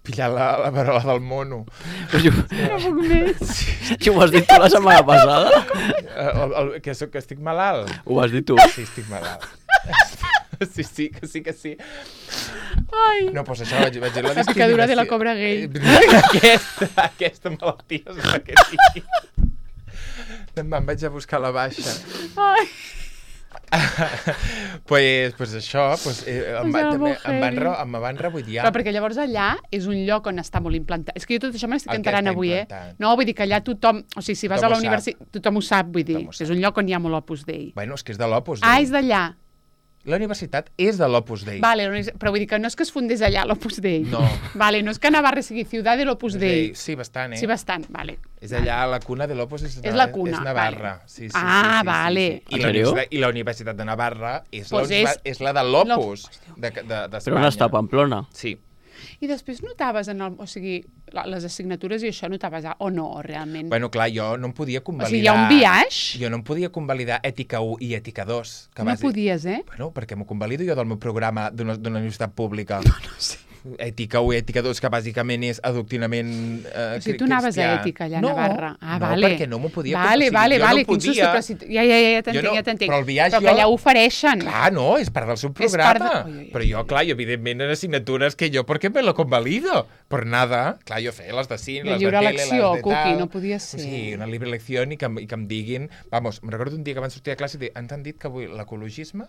pillat la, la verola del mono. Però jo, No puc més. jo ho has dit tu la setmana passada? El, el, que, soc, que estic malalt? Ho has dit tu. Sí, estic malalt. Sí, sí, que sí, que sí. Ai. No, doncs això, vaig, vaig dir la La picadura de la discriminació. cobra gay. Eh, Aquesta, aquesta malaltia és la que sí. Me'n vaig a buscar la baixa. Ai. pues, pues això, pues, eh, em, va, Posava també, molt em, van, heavy. re, em van rebutjar. Però perquè llavors allà és un lloc on està molt implantat. És que jo tot això me l'estic El que enterant està avui, eh? implantat. No, vull dir que allà tothom... O sigui, si vas Tothom a la ho universitat, tothom ho sap, vull dir. Tothom ho sap. És un lloc on hi ha molt Opus Dei. Bueno, és que és de l'Opus Ah, Dei. és d'allà. La universitat és de l'Opus Dei. Vale, la univers- però vull dir que no és que es fundés allà l'Opus Dei. No. Vale, no és que Navarra sigui ciutat de l'Opus Dei. Sí, bastant, eh? Sí, bastant, vale. És allà, la cuna de l'Opus és, És la cuna, és Navarra. vale. Sí, sí, Ah, sí, sí, vale. Sí, sí. I, En la sèrio? universitat, I la Universitat de Navarra és, Pues la, és... és- és la de l'Opus de, de, d'Espanya. Però on està, Pamplona? Sí. I després notaves en el... O sigui, la- les assignatures i això notaves a- o no, realment? Bueno, clar, jo no em podia o convalidar... sigui, hi ha un biaix? Jo no em podia convalidar Ètica u i Ètica dos. Que No bàsic- podies, eh? Bueno, perquè m'ho convalido jo del meu programa d'una d'una universitat pública. No, no sé. Ètica u i Ètica dos, que bàsicament és adoctrinament eh, O sigui, cri- tu anaves a cristià. ètica allà a no, Navarra. Ah, no, vale. perquè no m'ho podia... Vale, o sigui, vale, jo vale, no quin susto, podia... però si... Ja, ja, ja, ja t'entenc, Jo no- ja t'entenc. però el biaix Però que jo- allà ho ofereixen. Clar, no, és part del seu És part programa. de- Ui, ui, ui. Però jo, clar, jo, evidentment, en assignatures que jo, ¿por qué me lo convalido? Por nada. Clar, jo feia les de cine, I les de lliure tele, elecció, les de Cuqui, tal. no podia ser. Sí, una libre elecció i que, em- i que em diguin... Vamos, me'n recordo un dia que van sortir a classe i dir, ens han dit que avui l'ecologisme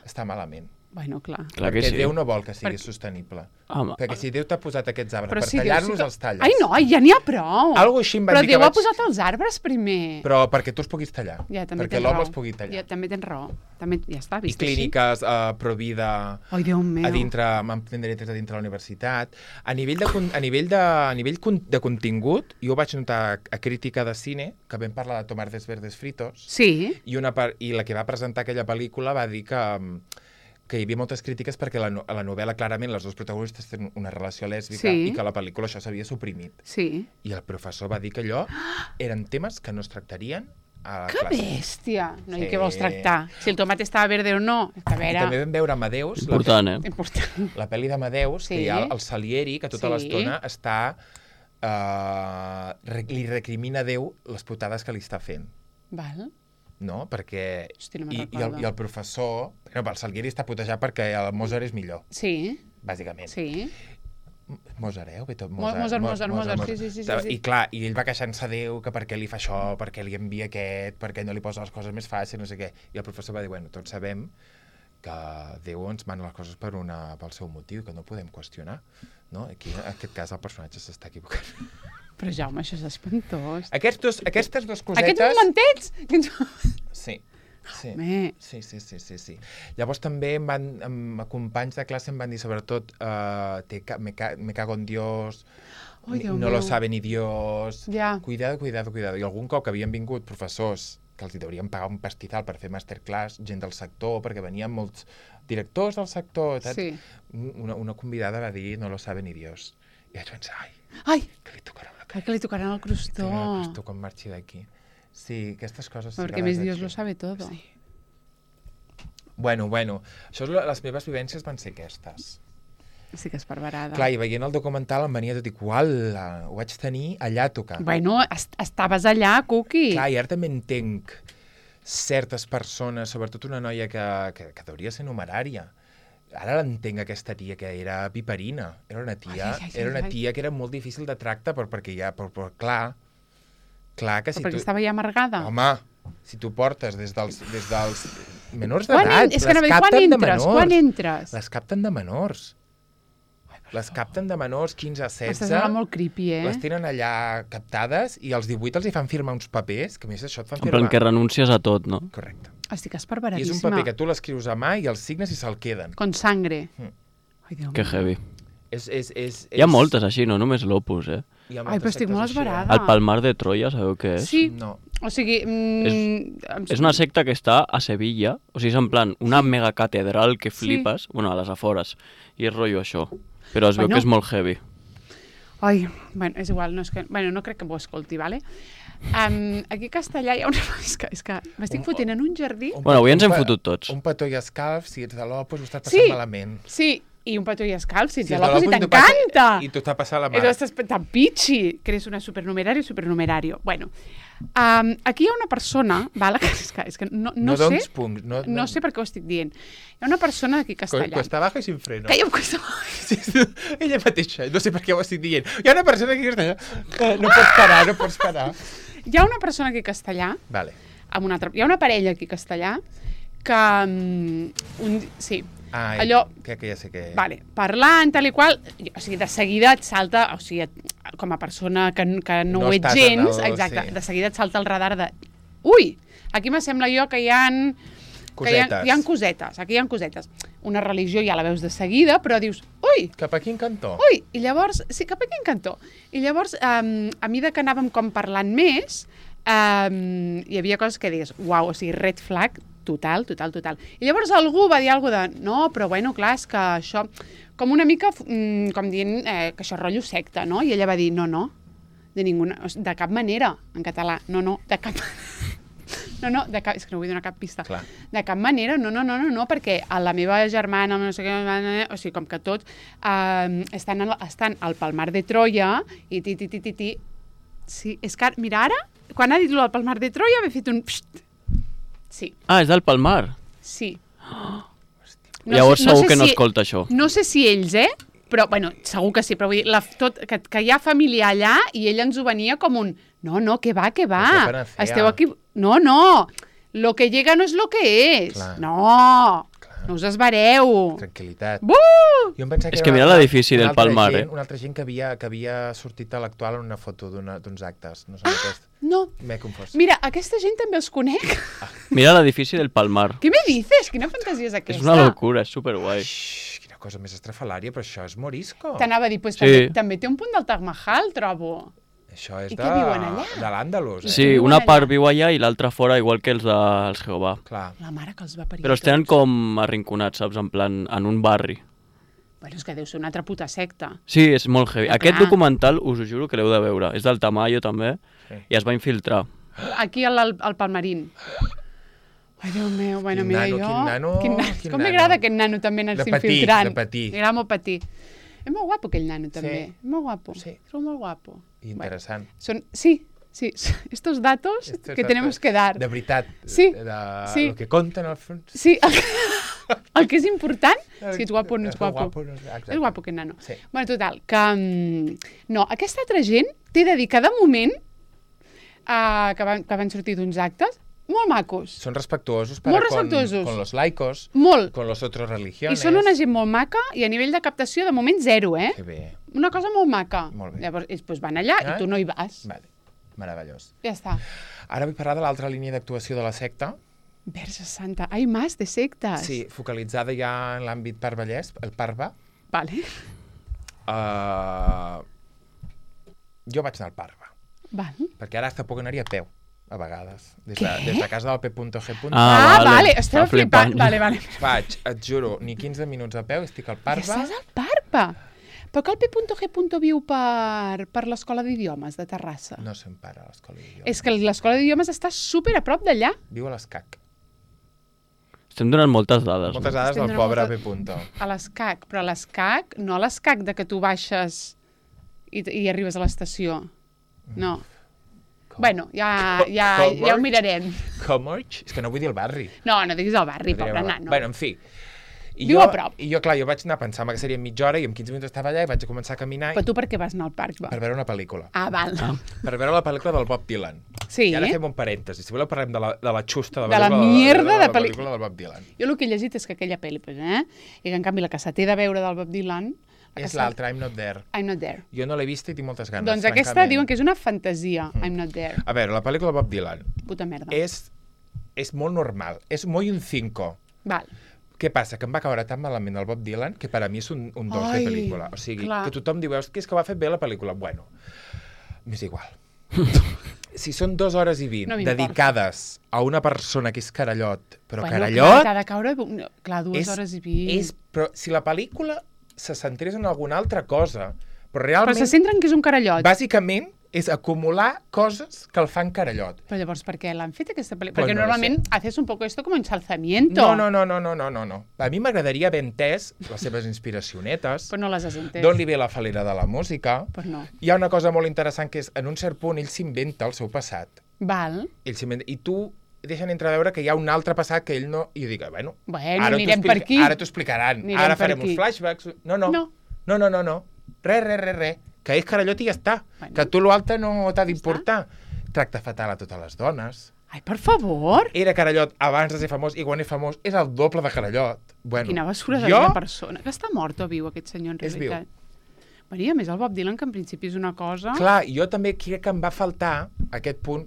està malament. Bueno, clar. Clar que perquè sí. Déu no vol que sigui Per- sostenible. Home, Perquè si Déu t'ha posat aquests arbres Però per si Déu tallar-los, sí que- els talles. Ai, no, ja n'hi ha prou. Algo així em van Però dir que Déu ha vaig- posat els arbres primer. Però perquè tu els puguis tallar. Ja, també perquè tens l'home raó. els pugui tallar. Ja, també tens raó. També, ja està, I vist així. clíniques uh, pro vida Ai, Déu meu. a dintre, amb tenderetes a dintre de la universitat. A nivell de, con- a nivell de, a nivell con- de contingut, jo ho vaig notar a Crítica de Cine, que vam parlar de Tomates Verdes Fritos, Sí, i, una part, i la que va presentar aquella pel·lícula va dir que, mm, que hi havia moltes crítiques perquè la, no- a la novel·la clarament les dues protagonistes tenen una relació lèsbica Sí. i que a la pel·lícula això s'havia suprimit. sí. I el professor va dir que allò eren temes que no es tractarien a la Que classe. bèstia! No, I Sí. què vols tractar? Si el tomate estava verde o no? És que a I veure... també vam veure Amadeus, la, important, eh? Important. la pel·li d'Amadeus, Sí. que hi ha el Salieri, que tota Sí. l'estona està... Uh, re, li recrimina a Déu les putades que li està fent, Val. no? Perquè... Hosti, no me'n I, i, el, recordo. I el professor... Bueno, el Salieri està putejat perquè el Mozart és millor, Sí, bàsicament. sí. Mozart, eh? Ho ve tot Mo- Mozart. Mozart, Mo- Mozart, Mozart, sí, sí, sí, sí, sí. I clar, i ell va queixant-se a Déu que per què li fa això, per què li envia aquest, per què no li posa les coses més fàcils, no sé què. I el professor va dir, bueno, tots sabem que Déu ens mana les coses per una, pel seu motiu, que no podem qüestionar. No? Aquí, en aquest cas, el personatge s'està equivocant. Però Jaume, això és espantós. Aquests dos, aquestes dues cosetes... Aquests momentets! Aquests... Sí. Sí. Home. sí, sí, sí, sí, sí. Llavors també em van, em, companys de classe em van dir sobretot uh, te, ca- me, ca, me cago en Dios, Ai, ni- Déu no meu. lo sabe ni Dios, Ja. cuidado, cuidado, cuidado. I algun cop que havien vingut professors que els hi deurien pagar un pastizal per fer masterclass, gent del sector, perquè venien molts directors del sector, saps? Sí. Una, una convidada va dir no lo sabe ni Dios. I vaig pensar, ai, Ai, que li tocarà la ai, cara. que li tocaran el crostó. Pues tu quan marxi d'aquí. Sí, aquestes coses... sí que Perquè les més vaig Dios fer. lo sabe todo. Sí. Bueno, bueno, això és la, les meves vivències van ser aquestes. Sí que és perverada. Clar, i veient el documental em venia tot i que uala, ho vaig tenir allà a tocar. Bueno, est estaves allà, Cuqui. Clar, i ara també entenc certes persones, sobretot una noia que, que, que hauria ser numerària. Ara l'entenc, aquesta tia que era piperina. Era una tia, Ai, ai, ai, era una ai. tia que era molt difícil de tracte, però perquè ja, però, però clar, clar que Però si perquè tu... estava ja amargada. Home, si tu portes des dels, des dels menors Quan d'edat, en... És que les anava a dir, quan capten de entres? menors. Quan entres? Les capten de menors. Les capten de menors, quinze a M'estàs setze. anant molt creepy, eh? Les tenen allà captades i als divuit els hi fan firmar uns papers, que a més això et fan En firmar. plan que renuncies a tot, no? Correcte. Estic I és un esperveradíssima. paper que tu l'escrius a mà i els signes i se'l queden. Con sangre. Mm. Ai, Déu Que meu. heavy. És, és, és, Hi ha és- moltes així, no només l'Opus, eh? hi ha Ai, moltes però estic sectes molt així, eh? esverada. El Palmar de Troia, sabeu què és? Sí, No. O sigui... Mm, És, és una secta que està a Sevilla, o sigui, és en plan una megacatedral que flipes, sí. bueno, a les afores, i és rotllo això, però es bueno. veu que és molt heavy. Ai, bueno, és igual, no, és que, bueno, no crec que m'ho escolti, vale? Um, aquí a Castellà hi ha una... És que, és que m'estic un, fotent en un jardí... Un, bueno, avui ens hem fotut tots. Un petó i escalf, si ets de l'Opus, ho estàs passant sí, malament. Sí, i un petó i escalf, si ets si de l'Opus, i t'encanta! I tu t'ha passat la mà. I tu estàs tan pitxi, que eres una supernumerario, supernumerario. Bueno, um, aquí hi ha una persona, vale, que, és que, és que no, no, no sé... Punts, no, no... no sé per què ho estic dient. Hi ha una persona aquí a Castellà... Cuesta baja i sin freno. Que hi ha cuesta baja. Sí, sí, ella mateixa, no sé per què ho estic dient. Hi ha una persona aquí a Castellà que no pots parar, no pots parar. Hi ha una persona aquí a Castellà, vale. amb una altra, hi ha una parella aquí a Castellà que... Um, un, sí, ah, allò... Que, que ja sé que... Vale, parlant, tal i qual, o sigui, de seguida et salta, o sigui, com a persona que, que no, no ho ets gens, el, exacte, sí. De seguida et salta el radar de... Ui, aquí m'assembla jo que hi ha... Que hi ha, hi ha cosetes, aquí hi ha cosetes. Una religió ja la veus de seguida, però dius, ui... Cap a quin cantó? Ui, i llavors... Sí, cap a quin cantó? I llavors, um, a mesura que anàvem com parlant més, um, hi havia coses que digues, uau, o sigui, red flag, total, total, total. I llavors algú va dir alguna cosa de, no, però bueno, clar, és que això... Com una mica, um, com dient eh, que això és rotllo secta, no? I ella va dir, no, no, de ninguna... De cap manera, en català, no, no, de cap manera. No, no, de cap, és que no vull donar cap pista. Clar. De cap manera, no, no, no, no, no, perquè a la meva germana, no sé què, o sigui, com que tots eh, estan, al, estan al Palmar de Troia i ti, ti, ti, ti, ti. Sí, és que, mira, ara, quan ha dit el Palmar de Troia, m'he fet un... Psst. Sí. Ah, és del Palmar? Sí. Oh. No Llavors sé, no segur que no si, escolta això. No sé si ells, eh? Però, bueno, segur que sí, però vull dir, la, tot, que, que hi ha família allà i ell ens ho venia com un... No, no, que va, que va. Esteu aquí... No, no. Lo que llega no és lo que és. Clar. No. Clar. No us esvareu. Tranquil·litat. Buh! Jo em pensava que és que mira l'edifici del Palmar, gent, eh? Una altra gent que havia, que havia sortit a l'actual en una foto d'uns actes. No sé ah, aquest. no. M'he confós. Mira, aquesta gent també els conec. Ah. Mira l'edifici del Palmar. Què me dices? Quina fantasia és aquesta? És una locura, és superguai. Xxxt, quina cosa més estrafalària, però això és morisco. T'anava a dir, pues, sí. també, també té un punt del Taj Mahal, trobo. Això és I de, què viuen allà? de l'Àndalus. Eh? Sí, una part viu allà i l'altra fora, igual que els dels Jehovà. Clar. La mare que els va parir. Però els tenen com arrinconats, saps? En plan, en un barri. Bueno, és que deu ser una altra puta secta. Sí, és molt heavy. No, Aquest clar. documental, us ho juro que l'heu de veure. És del Tamayo, també, sí. I es va infiltrar. Aquí al, al, al Palmarín. Ai, Déu meu, bueno, quin mira nano, jo... Quin nano, quin nano. quin Com nano. m'agrada aquest nano també anar-se infiltrant. De patir, M'agrada molt patir. És molt guapo aquell nano, també. Sí. Molt guapo. Sí. És molt guapo. Interessant. Bueno, son... Sí, sí. Estos datos Estos que datos tenemos que dar. De veritat. Sí. De... sí. El que compten al fons. Sí. El que, el que és important és si ets guapo o no ets guapo. guapo no és... És guapo aquest nano. Sí. Bueno, total, que... No, aquesta altra gent t'he de dir que de moment uh, que, van, que van sortir d'uns actes molt macos. Són respectuosos para molt respectuosos. Con, con los laicos, molt. con los otros religiones. I són una gent molt maca i a nivell de captació de moment zero, eh? Que bé. Una cosa molt maca. Molt bé. Llavors, ells pues, van allà ah? i tu no hi vas. Vale. Meravellós. Ja està. Ara vull parlar de l'altra línia d'actuació de la secta. Verge Santa. Ai, más de sectes. Sí, focalitzada ja en l'àmbit parvallès, el Parva. Vale. Uh, jo vaig anar al Parva. Val. Perquè ara hasta puc anar-hi a peu, a vegades. Des de, des de casa del P punto G. Ah, ah vale. vale. Estava flipant. flipant. Vale, vale. Vaig, et juro, ni quinze minuts a peu, estic al Parva. Ja estàs al Parva. Però que el P punto G. viu per, per l'Escola d'Idiomes de Terrassa. No se'n para a l'Escola d'Idiomes. És que l'Escola d'Idiomes està super a prop d'allà. Viu a l'Escac. Estem donant moltes dades. Moltes no? dades Estem del pobre moltes... P punto. A l'Escac, però a l'Escac, no a l'Escac de que tu baixes i, i arribes a l'estació. No. Com? Bueno, ja, ja, ja ho mirarem. Comorch? És que no vull dir el barri. No, no diguis el barri, no pobre nano. Bueno, en fi. I Viu jo, a prop. I jo, clar, jo vaig anar pensant que seria mitja hora i en quinze minuts estava allà i vaig començar a caminar. Però tu per què vas anar al parc? Va? Per veure una pel·lícula. Ah, val. Ah. Per veure la pel·lícula del Bob Dylan. Sí. I ara fem un parèntesi. Si voleu parlem de la, de la xusta de, de la mierda de, de, de, de pel·lícula del Bob Dylan. Jo el que he llegit és que aquella pel·li, pues, eh? I que en canvi la que se té de veure del Bob Dylan... És l'altra, I'm Not There. I'm Not There. Jo no l'he vista i tinc moltes ganes, Doncs francament. aquesta diuen que és una fantasia, mm. I'm Not There. A veure, la pel·lícula de Bob Dylan... Puta merda. És, és molt normal. És molt un cinco. Val. Què passa? Que em va caure tan malament el Bob Dylan que per a mi és un, un dos de pel·lícula. O sigui, clar. Que tothom diu, que és que ho ha fet bé la pel·lícula. Bueno, m'és igual. si són dues hores i vint No m'importa. dedicades a una persona que és Carallot, però bueno, Carallot... Clar, t'ha de caure... no, Clar, dues és, hores i vint. és, però si la pel·lícula se centrés en alguna altra cosa, però Però realment, se centren que és un carallot. bàsicament, és acumular coses que el fan Carallot. Però llavors, per què l'han fet aquesta pel·lícula? Pues Perquè no lo normalment haces un poco esto como ensalzamiento. No, no, no, no, no, no, no, no. A mi m'agradaria haver entès les seves inspiracionetes, Però no les has entès. d'on li ve la falera de la música. Pues no. Hi ha una cosa molt interessant que és, en un cert punt, ell s'inventa el seu passat. Val. Ell s'inventa, I tu deixen entreveure que hi ha un altre passat que ell no... I jo dic, bueno, Bueno, ara t'ho anirem explica- per aquí. Ara t'ho explicaran. Anirem Ara per farem aquí. uns flashbacks. No, no. No. No, no, no, no. Res, res, res, res. Que és Carallot i ja està. Bueno. Que tu l'altre no t'ha d'importar. Tracta fatal a totes les dones. Ai, per favor. Era Carallot abans de ser famós i quan és famós és el doble de Carallot. Bueno, Quina basura de jo... jo... persona. Que està mort o viu, aquest senyor, en És viu. realitat? Bueno, i a més el Bob Dylan, que en principi és una cosa... Clar, jo també crec que em va faltar aquest punt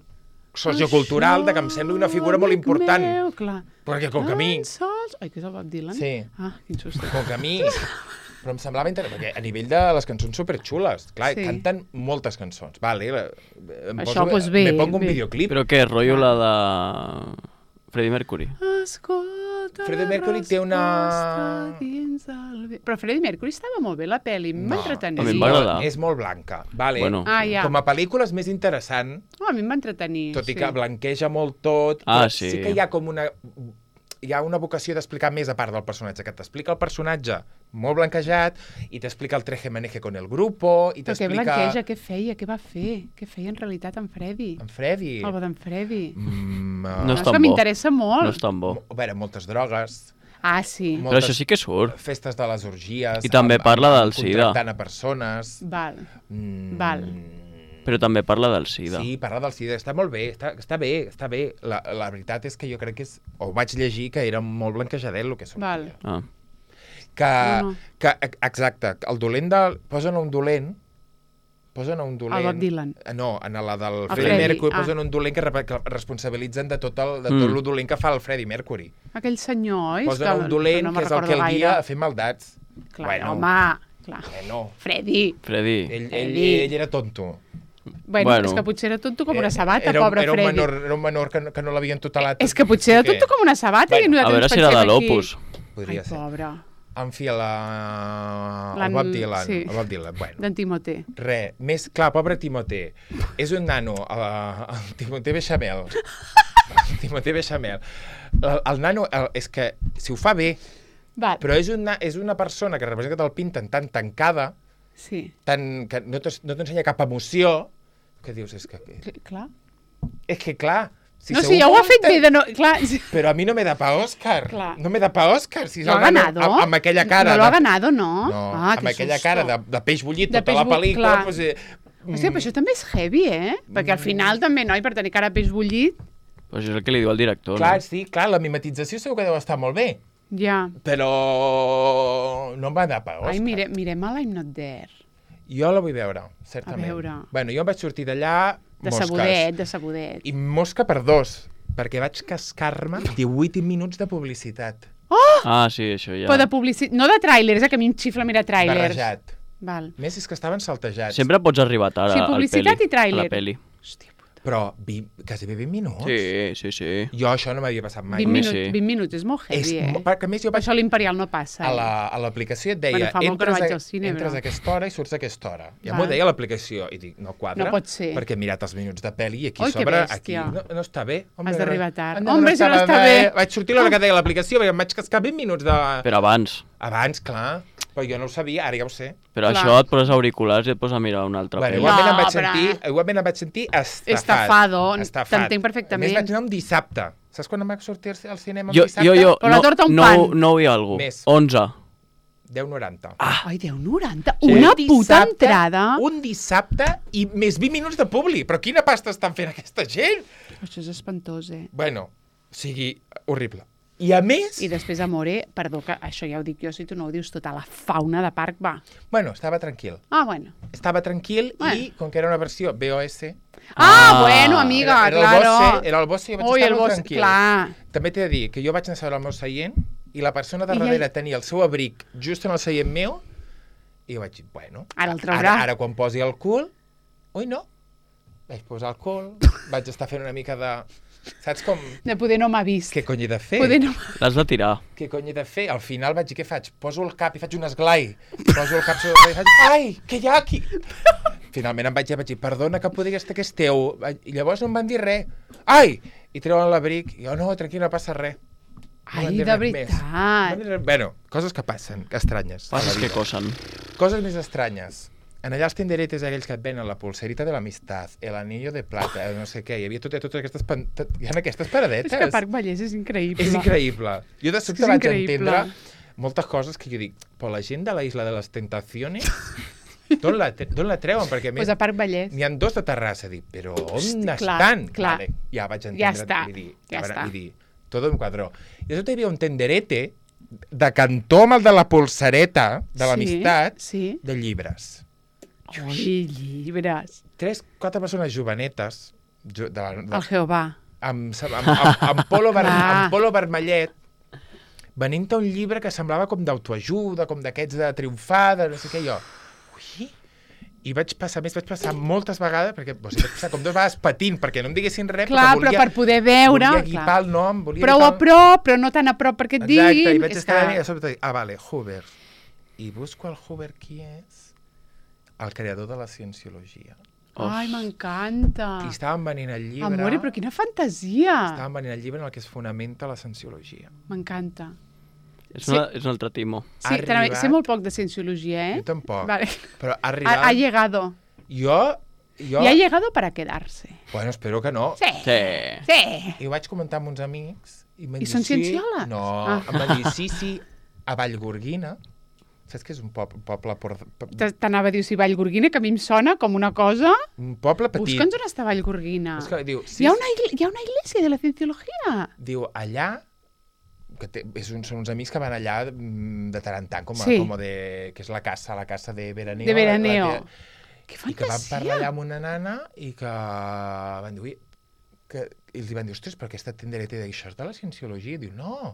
sociocultural de que em sembla una figura molt amic important. Meu, clar. Perquè com que a mi... Tan sols... Ai, que és el Bob Dylan? Sí. Ah, quin susto. Com que a mi... Però em semblava interessant, perquè a nivell de les cançons superxules, clar, Sí. sí. canten moltes cançons. Vale, em Això, pues bé, me pongo un bé. videoclip. Però què, rotllo la de Freddie Mercury? Escolta Freddie Mercury té una- resposta dins del... ve- Però Freddie Mercury estava molt bé, la pel·li. Em va entretenir. a mi em va agradar. És molt blanca. Vale. Bueno. Ah, ja. Com a pel·lícula és més interessant, Oh, a mi em va entretenir. tot i sí. que blanqueja molt tot. Ah, però sí. sí que hi ha com una... Hi ha una vocació d'explicar més a part del personatge, que t'explica el personatge molt blanquejat i t'explica el treje-maneje con el grupo i Però què t'explica... blanqueja, què feia, què va fer? Què feia en realitat en Freddy? En Freddy. El bo d'en Freddy. Mm, uh, No No, és és tan que bo. m'interessa molt. No és tan bo. A veure, moltes drogues, Ah, sí. Molt- Però això sí que surt. festes de les orgies... I també parla del SIDA. Contractant a persones... Val. Mm, Val. Però també parla del SIDA. Sí, parla del SIDA. Està molt bé, està, està bé, està bé. La, la veritat és que jo crec que és... O vaig llegir que era molt blanquejadet el que sortia. Val. Ah. Que, No, no. que, exacte, el dolent del... Posen un dolent... Posen un dolent... El Bob Dylan. No, en la del El Freddie Freddie, Mercury ah. posen un dolent que, re- que responsabilitzen de tot el, de Mm. tot el dolent que fa el Freddie Mercury. Aquell senyor, oi? Posen que un dolent no me'n que és el que el recordo guia gaire. a fer maldats. Clar, bueno, home, clar. Bueno, Freddy. Freddy. ell, ell, Freddy. ell era tonto. Bueno, Bueno. és que potser era tonto com una Eh, sabata, era, un- pobre era un Freddy. menor, era un menor que, no- que no l'havien tutelat. És que potser era Què? tonto com una sabata i Bueno, nosaltres A veure ens si era de pensem aquí. l'Opus. Podria Ai, ser. pobre. En fi, la... el L'han- Bob Dylan. sí. El Bob Dylan, bueno. D'en Timoté. Res, més, clar, pobre Timoté. És un nano, el, el Timoté Bechamel. El Timoté Bechamel. El, el nano, el, és que, si ho fa bé, Val, però és una, és una persona que representa que te'l pinten tan tancada, sí. tan, que no t'es- no t'ensenya cap emoció, que dius, és que... Cl- Clar. És que, clar... Si no, segur sí, ja que ho ha ho fet enten- bé de no... Clar, sí. Però a mi no me da pa Òscar. Clar. No me da pa Òscar. Si ¿Lo ha el nano ganado? Amb, amb aquella cara... No lo ha de- ganado, ¿no? No, ah, amb qué aquella susto. cara de, de peix bullit De tota peix la bullit, pel·lícula... clar. Doncs, eh, Hòstia, però això també és heavy, eh? Perquè al final també, noi, per tenir cara de peix bullit, Però això és el que li diu el director, clar, no? sí, clar, la mimetització segur que deu estar molt bé, ja. però no em va dar pa Òscar. Ai, mire, mirem a l'I'm Not There. Jo la vull veure, certament. A veure. Bueno, jo em vaig sortir d'allà De mosques. sabudet, de sabudet. I mosca per dos, perquè vaig cascar-me divuit minuts de publicitat. Ah, sí, això ja. Però de publicitat... No de tràilers, eh, que a mi em xifla mirar tràilers. Barrejat. Val. A més, és que estaven saltejats. Sempre pots arribar tard Sí, al publicitat peli, i tràiler. a la peli. Hòstia puta. Però vi, quasi bé vint minuts. Sí, sí, sí. Jo això no m'havia passat mai. vint, mi minuts, sí. vint minuts, és molt És, heavy, eh? mo- perquè a més jo Per vaig això l'Imperial no passa. a eh? la- a l'aplicació et deia, Bueno, fa molt que no entres, vaig a, al cine, entres però- a aquesta hora i surts a aquesta hora. Ja Val. m'ho deia l'aplicació. I dic, no quadra, No pot ser. perquè he mirat els minuts de pel·li i aquí Oi, que sobre, aquí bèstia. no, no està bé. Has d'arribar tard. no, Hombre, si no està bé. Vaig sortir a l'hora que deia l'aplicació, perquè em vaig cascar vint minuts de... Però abans. Abans, clar, però jo no ho sabia, ara ja ho sé. Però Clar. això et poses auriculars i et poses a mirar una altra Bueno, pel·li. igualment, No, em vaig però- sentir, igualment em vaig sentir estafat. Estafado, Estafat. t'entenc perfectament. A més, vaig anar un dissabte. Saps quan em vaig sortir al cinema un Jo, dissabte? jo, jo, Però la no, torta un no, pan. no i algú. Més. onze. deu noranta. Ah, Ai, deu noranta. Sí. Una Un puta dissabte- entrada. Un dissabte i més vint minuts de publi. Però quina pasta estan fent aquesta gent? Això és espantós, eh? Bueno, o sigui, horrible. I a més... I després, amore, perdó, que això ja ho dic jo, si tu no ho dius, tota la fauna de parc va. Bueno, estava tranquil. Ah, bueno. Estava tranquil Bueno. i, com que era una versió V O S... Ah, Ah, bueno, amiga, era, era claro. el Bosse, era el Bosse i jo vaig Ui, estar el molt Bosse, tranquil. clar. També t'he de dir que jo vaig anar a seure al meu seient i la persona de I darrere ell- tenia el seu abric just en el seient meu i jo vaig dir, bueno... Ara el traurà. Ara, ara quan posi el cul... Ui, no. vaig posar alcohol, vaig estar fent una mica de... Saps com... De poder no m'ha vist. Què cony he de fer? Poder no... L'has de tirar. Què cony he de fer? Al final vaig dir, què faig? Poso el cap i faig un esglai. Poso el cap sobre el i faig... Ai, què hi ha aquí? Finalment em vaig, vaig dir, perdona que podria estar que és teu. I llavors no em van dir res. Ai! I treuen l'abric. I jo, no, tranquil, no passa res. No Ai, de veritat. Més. Bueno, coses que passen, que estranyes. Passes que cosen. Coses més estranyes. En allà els tenderetes aquells que et venen la pulserita de l'amistat, el anillo de plata, no sé què, hi havia tot, totes aquestes... Pan... Tot, hi ha aquestes paradetes. És que Parc Vallès és increïble. És increïble. Jo de sobte és vaig increïble. entendre moltes coses que jo dic, però la gent de la Isla de les Tentaciones, d'on la, la treuen? Perquè a més pues a Parc Vallès. n'hi ha dos de Terrassa, dic, però on Hosti, estan? clar, clar. Vale, ja vaig entendre. Ja està, i dir, ja veure, està. I dir, todo un quadró. I de sobte hi havia un tenderete de cantó amb el de la pulsereta de l'amistat sí, sí. de llibres. Ui, llibres. Tres, quatre persones jovenetes jo, de la, de, El Jehovà. amb, amb, amb, amb, polo ver, Clar. amb polo vermellet venint a un llibre que semblava com d'autoajuda, com d'aquests de triomfar, de no sé què, jo. Ui! I vaig passar, més vaig passar moltes vegades, perquè o sigui, vaig passar com dues vegades patint, perquè no em diguessin res, Clar, perquè volia, però per poder veure... volia equipar clar. el nom, volia Prou a equipar... prop, però no tan a prop perquè et Exacte, diguin. i vaig És estar que... que... a sobre, ah, vale, Huber. I busco el Huber qui és? El creador de la cienciologia. Ai, m'encanta. I estàvem venint el llibre... Amore, però quina fantasia. Estàvem venint el llibre en el que es fonamenta la cienciologia. M'encanta. És, Sí. una, és un altre timo. Sí, Ha també, arribat- sé molt poc de cienciologia, eh? Jo tampoc. Vale. Però ha Ha, arribat... ha llegado. Jo... jo... Y ha llegado para quedarse. Bueno, espero que no. Sí. Sí. Sí. I ho vaig comentar amb uns amics. I, m'han I dit, són sí. cienciòlegs? No, Ah. em van dir, sí, sí, a Vallgorguina. Saps que és un poble, poble, por, T- T'anava a dir, si Vallgorguina, que a mi em sona com una cosa... un poble petit. Busca'ns on està Vallgorguina. És que diu, sí, Hi ha una, igle- hi ha una iglesia de la cienciología. diu, allà, que té, és un, són uns amics que van allà mm, de tant en tant, com, a, Sí. com a de, que és la casa, la casa de veraneo. De veraneo. La, la, Que I que van fantasia. parlar allà amb una nana i que van dir, ui, que, i els van dir, ostres, però aquesta tendereta d'això és de la cienciologia. I diu, no,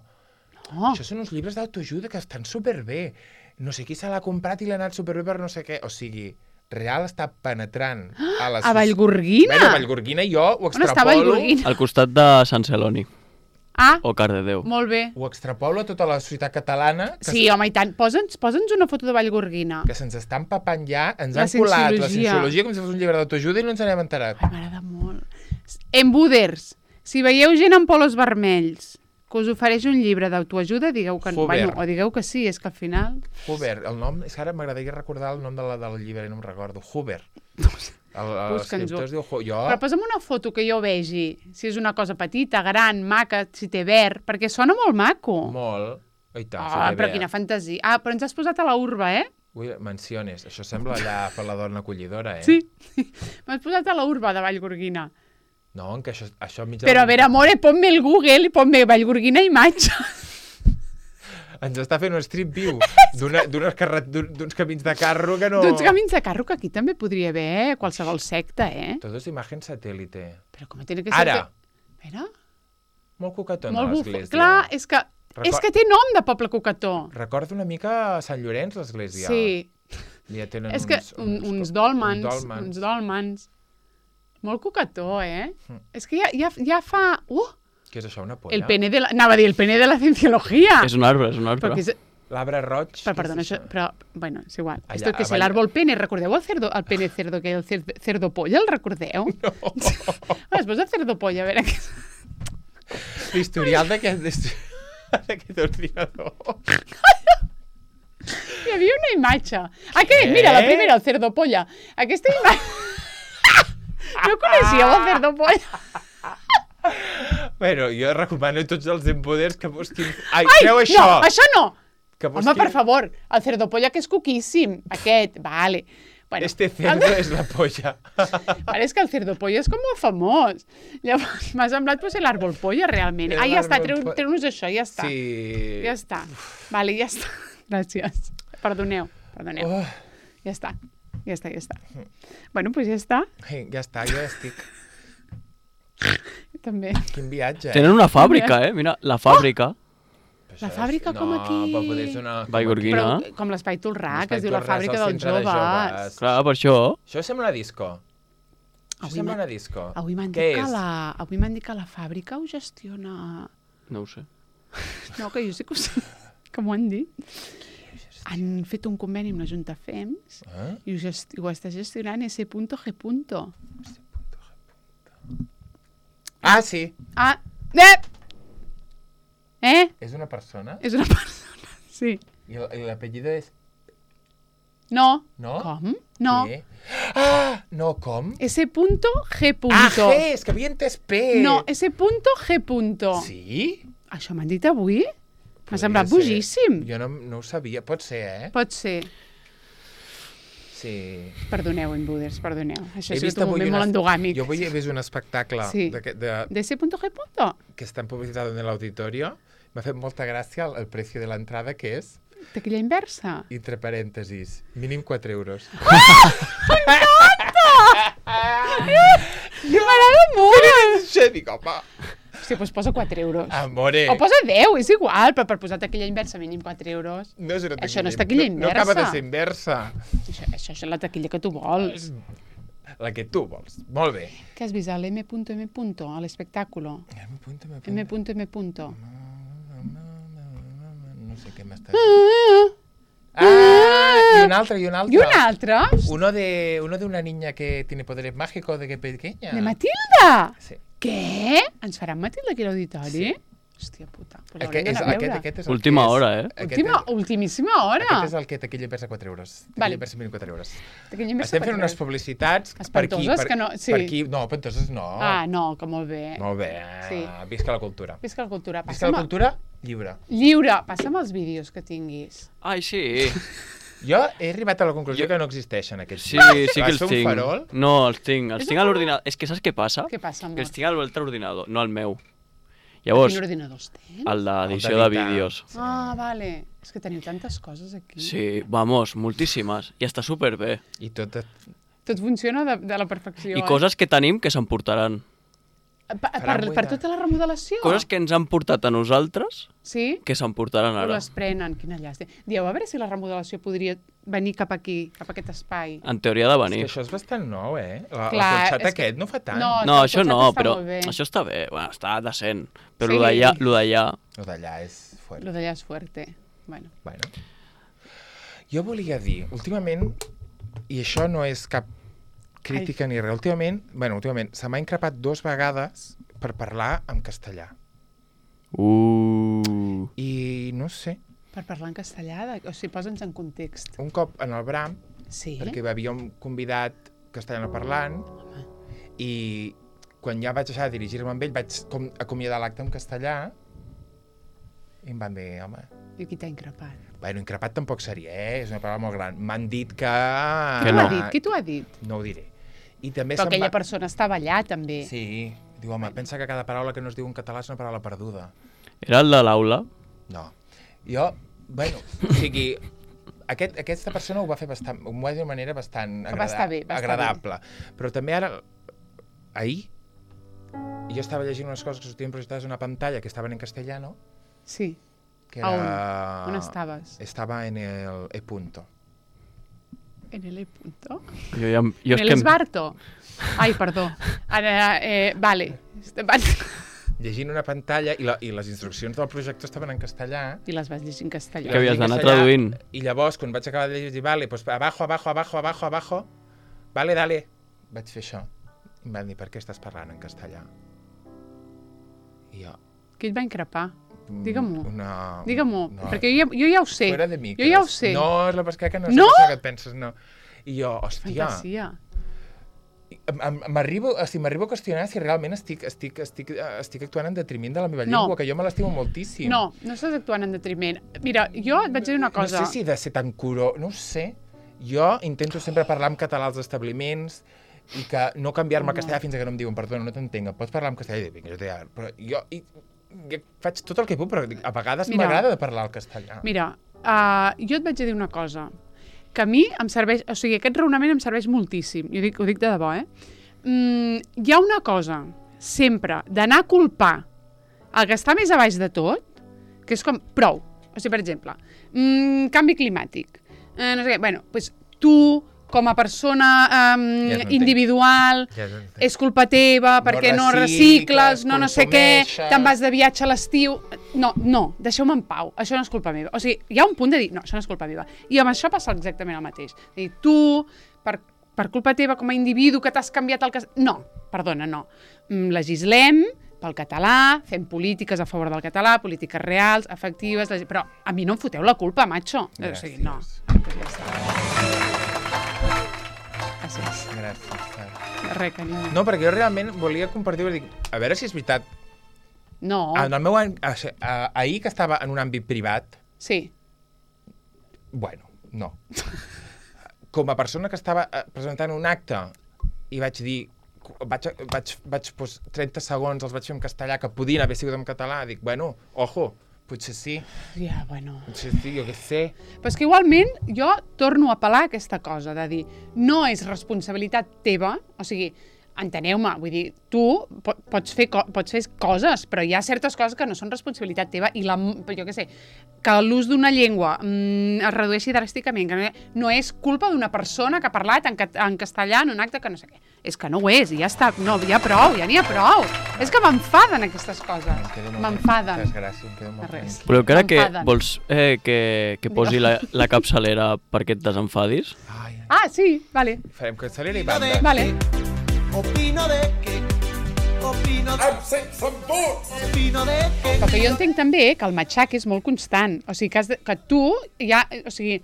No. això són uns llibres d'autoajuda que estan superbé. No sé qui se l'ha comprat i l'ha anat superbé per no sé què. O sigui, real està penetrant a la... A Vallgorguina? Bueno, a Vallgorguina jo ho On està extrapolo... Vallgorguina? Al costat de Sant Celoni. Ah, O Cardedeu. molt bé. Ho extrapolo a tota la societat catalana que, Sí, home, i tant. Posa'ns posa'ns una foto de Vallgorguina. que se'ns està empapant ja, ens La han colat la cienciologia. cienciologia com si fos un llibre d'autoajuda i no ens n'hem enterat. Ai, m'agrada molt. Embuders, si veieu gent amb polos vermells que us ofereix un llibre d'autoajuda, digueu que no. Huber. Bueno, o digueu que sí, és que al final... Huber, el nom, és que ara m'agradaria recordar el nom de la, del llibre i no em recordo. Huber. El- Busca'ns-ho. L'escriptor es diu Hu- jo... Però posa'm una foto que jo vegi, si és una cosa petita, gran, maca, si té verd, perquè sona molt maco. Molt. I tant, Ah, sí, però bé. quina fantasia. Ah, però ens has posat a la urba, eh? Ui, menciones. Això sembla allà per la dona acollidora, eh? Sí. M'has posat a la urba de Vallgorguina. No, en que això, això mig... Però a veure, amore, ponme el Google i ponme Vallgorguina imatge. Ens està fent un street view d'una- d'unes carret- d'un- d'uns camins de carro que no... D'uns camins de carro que aquí també podria haver eh? qualsevol secta, eh? Tot és imatge satèl·lite. Però com tiene que ser... Ara. Que... Mira, Molt coquetona molt buf... l'església. Clar, és que, Record- és que té nom de poble coquetó. Recorda una mica Sant Llorenç, l'església. Sí, Ja tenen és que uns, un, uns dòlmens, uns dòlmens. uns dòlmens. Molt coquetó, eh? Mm. És que ja, ja, ja fa... Uh, Què és això, una polla? el pene de la... Anava a dir el pene de la cienciología. És un arbre, és un arbre. Perquè és... L'arbre roig. Però, què perdona, és això, però, bueno, és igual. Allà, Esto que és avall- l'àrbol pene. Recordeu el, cerdo, el pene cerdo, que el cer- cerdo polla, el recordeu? No. Ah, es posa cerdo polla, a veure què... L'historial d'aquest d'aquest ordinador. Hi havia una imatge. Ah, què? Què? Mira, la primera, el cerdo polla. Aquesta imatge... No coneixíeu el cerdo polla? Bueno, jo recomano a tots els empoders que busquin... Ai, Ai, creu això! no, això no! Que Home, per favor, el cerdo polla que és coquíssim. Aquest, vale. Bueno, Este cerdo és la polla. Vale, és que el cerdo polla és com molt famós. Llavors, m'ha semblat pues, l'àrbol polla, realment. El Ah, ja està, árbol treu- po- treu-nos això, ja està. Sí. Ja està. Vale, ja està. Gràcies. Perdoneu, perdoneu. Oh, Ja està, ja està, ja està. Bueno, doncs pues ja està. ai, ja està, jo ja estic. També. Quin viatge, eh? Tenen una fàbrica, eh? Mira, la fàbrica. Però La això és- fàbrica com aquí. No, però poder ser una... com Vallgorguina. aquí. Però com l'Espai Tolrà, que L'espai es diu la Torràs, fàbrica el dels centre de joves. Clar, per això. Això sembla una disco. Això sembla una disco. Avui m'han Què dit, que és? la... Avui m'han dit que la fàbrica ho gestiona... No ho sé. No, que jo sí que ho sé, que m'ho han dit. Han fet un conveni amb la Junta F E M S Eh? i ho, gesti ho està gestionant S G. Ah, sí. Ah, eh! Eh? És una persona? És una persona, sí. I l- i l'apellido és... No. No? Com? No. Què? Ah, no, com? S G. Ah, G, és que havia entès P. No, S G. Sí? Això m'han dit avui? M'ha Podria semblat ser. bojíssim. Jo no, no ho sabia. Pot ser, eh? Pot ser. Sí. Perdoneu, Inbuders, perdoneu. Això He ha vist sigut un avui moment una- molt endogàmic. Jo avui he vist un espectacle Sí. de, de, De S G. que està en publicitat en l'auditorio. M'ha fet molta gràcia el, el preci de l'entrada, que és, Taquilla inversa. entre parèntesis, mínim quatre euros. M'agrada molt! Això dic, home, Sí, doncs posa quatre euros. amore. O posa deu, és igual, però per posar taquilla inversa mínim quatre euros. No és una Això no és taquilla No, no acaba de inversa. ser inversa. Això, això és la taquilla que tu vols. La que tu vols. Molt bé. Què has vist? A l'M M. a l'espectáculo. M. punto, M. M punto. M. No sé què m'està... Ah, y un altre, y un altre. I un altre? Uno de, uno de una niña que tiene poderes mágicos de que pequeña. De Matilda? Sí. Què? Ens faran Matilda aquí a l'auditori? Sí. Hòstia puta. Pues Aquest, l'haurem és, d'anar a aquest, veure. aquest és el Última que és, hora, eh? Aquest, Última, és, ultimíssima hora. aquest és el que taquilla inversa quatre euros. Taquilla Vale. inversa mínim quatre euros. Taquilla inversa Estem fent quatre unes euros. publicitats per aquí. Espantoses, Per, que no- sí. per aquí. No, espantoses no. Ah, no, que molt bé. Molt bé. Sí. Visca la cultura. Visca la cultura. Visca Passa'm la cultura lliure. Lliure. Passa'm els vídeos que tinguis. Ai, sí. Jo he arribat a la conclusió que no existeixen aquests. Sí, vídeos. sí que Vas els fer un tinc. farol? No, els tinc. Els És tinc un a farol? l'ordinador. És que saps què passa? Què passa, amor? Que els tinc a l'altre ordinador, no al meu. Quin Llavors, ordinador els tens? el d'edició El de d'editar. vídeos. Ah, vale. És que teniu tantes coses aquí. Sí, vamos, moltíssimes. I està superbé. I tot... Tot funciona de, de la perfecció. I coses que tenim que s'emportaran. Eh? Per, Faran per, buida. per tota la remodelació? Coses que ens han portat a nosaltres Sí? que s'emportaran O ara. les prenen. Quina llàstima. Dieu, a veure si la remodelació podria venir cap aquí, cap a aquest espai. En teoria de És venir. que això és bastant nou, eh? La, Clar, el cotxat és que- aquest no fa tant. No, No, el això cotxet no, està però molt bé. això està bé. Bueno, està decent. Però Sí. lo d'allà, lo d'allà... El d'allà és fort. Lo d'allà és fuerte. Bueno. Bueno. Jo volia dir, últimament, i això no és cap crítica Ai. ni res, últimament, bueno, últimament, se m'ha increpat dues vegades per parlar en castellà. Uh. I no sé, Per parlar en castellà, de... o sigui, posa'ns en context. un cop en el Bram, Sí? perquè hi havia un convidat castellano parlant, i quan ja vaig deixar de dirigir-me amb ell, vaig com acomiadar l'acte en castellà, i em van dir, home, I qui t'ha increpat? bueno, increpat tampoc seria, eh? És una paraula molt gran. M'han dit que... Que Qui t'ho no. ha dit? Qui t'ho ha dit? No ho diré. I també Però se'm aquella va... persona estava allà, també. Sí. Diu, home, pensa que cada paraula que no es diu en català és una paraula perduda. Era el de l'aula? No. Jo, bueno, o sigui, aquest, aquesta persona ho va fer bastant, ho va dir d'una manera bastant Que va estar bé, va estar agradable. Però també ara, ahir, jo estava llegint unes coses que sortien projectades a una pantalla que estaven en castellano, Sí. que A era... on? On estaves? Estava en el E punto. En el E punto? Jo, ja, jo En és el que... esbarto? Ai, perdó. Ara, eh, vale. Llegint una pantalla i, la, i les instruccions del projector estaven en castellà. I les vas llegir en castellà. Que havies d'anar castellà, traduint. I llavors, quan vaig acabar de llegir, vale, pues abajo, abajo, abajo, abajo, abajo, vale, dale. Vaig fer això. I em van dir, per què estàs parlant en castellà? I jo... Qui et va increpar? mm, Digue-m'ho. Una... Digue-m'ho, no, perquè jo ja, jo ja ho sé. Fuera de micros. Jo ja ho sé. No, és la pesca que no, No? sé què et penses, no. I jo, hòstia, Fantasia. em- em- m'arribo o sigui, m'arribo a qüestionar si realment estic, estic, estic, eh, estic actuant en detriment de la meva No. llengua, que jo me l'estimo moltíssim. No, no estàs actuant en detriment. Mira, jo et vaig dir una cosa. No sé si he de ser tan curó, no ho sé. Jo intento sempre parlar en català als establiments i que no canviar-me al No. castellà fins que no em diuen, perdona, no t'entenc, em pots parlar en castellà? I dic, vinga, jo t'he... Però jo, i, jo faig tot el que puc, però a vegades Mira. m'agrada de parlar el castellà. Mira, uh, jo et vaig dir una cosa, que a mi em serveix, o sigui, aquest raonament em serveix moltíssim, i ho dic, ho dic de debò, eh? Mm, hi ha una cosa, sempre, d'anar a culpar el que està més a baix de tot, que és com, prou, o sigui, per exemple, mm, canvi climàtic, eh, no sé què, bueno, doncs tu, com a persona um, Ja no individual, Ja no entenc. és culpa teva perquè no, No recicles, recicles, no no sé què, consumeixes. te'n vas de viatge a l'estiu... No, no, deixeu-me en pau, això no és culpa meva. O sigui, hi ha un punt de dir, no, això no és culpa meva. I amb això passa exactament el mateix. És a dir, tu, per, per culpa teva com a individu que t'has canviat el cas... No, perdona, no. Mm, Legislem pel català, fem polítiques a favor del català, polítiques reals, efectives, legis... però a mi no em foteu la culpa, macho. O sigui, no. Gràcies. Gràcies. Res, carinyo. No, perquè jo realment volia compartir, dic, a veure si és veritat. No. En el meu any, a- a- ahir que estava en un àmbit privat, Sí. bueno, no. Com a persona que estava eh, presentant un acte i vaig dir, vaig, vaig, vaig pues, trenta segons els vaig fer en castellà, que podien haver sigut en català, dic, bueno, ojo, potser sí, Ja, bueno... potser sí, jo què sé. Però és que igualment jo torno a apel·lar a aquesta cosa de dir no és responsabilitat teva, o sigui, enteneu-me, vull dir, tu po- pots fer, co pots fer coses, però hi ha certes coses que no són responsabilitat teva i la, jo què sé, que l'ús d'una llengua mm, es redueixi dràsticament, que no, no és culpa d'una persona que ha parlat en, cat en castellà en un acte que no sé què. És que no ho és, i ja està, no, ja prou, ja n'hi ha prou. És que m'enfaden aquestes coses, Em quedo molt m'enfaden. Moltes gràcies, em quedo molt Res. tranquil. Però encara que M'enfaden. vols eh, que, que posi la, la capçalera perquè et desenfadis? Ai, Ah, sí, vale, farem castellera i banda. vale. Opino de que... Opino de... Opino de que... Però que jo entenc també que el matxac és molt constant. O sigui, que, has de, que tu ja... O sigui,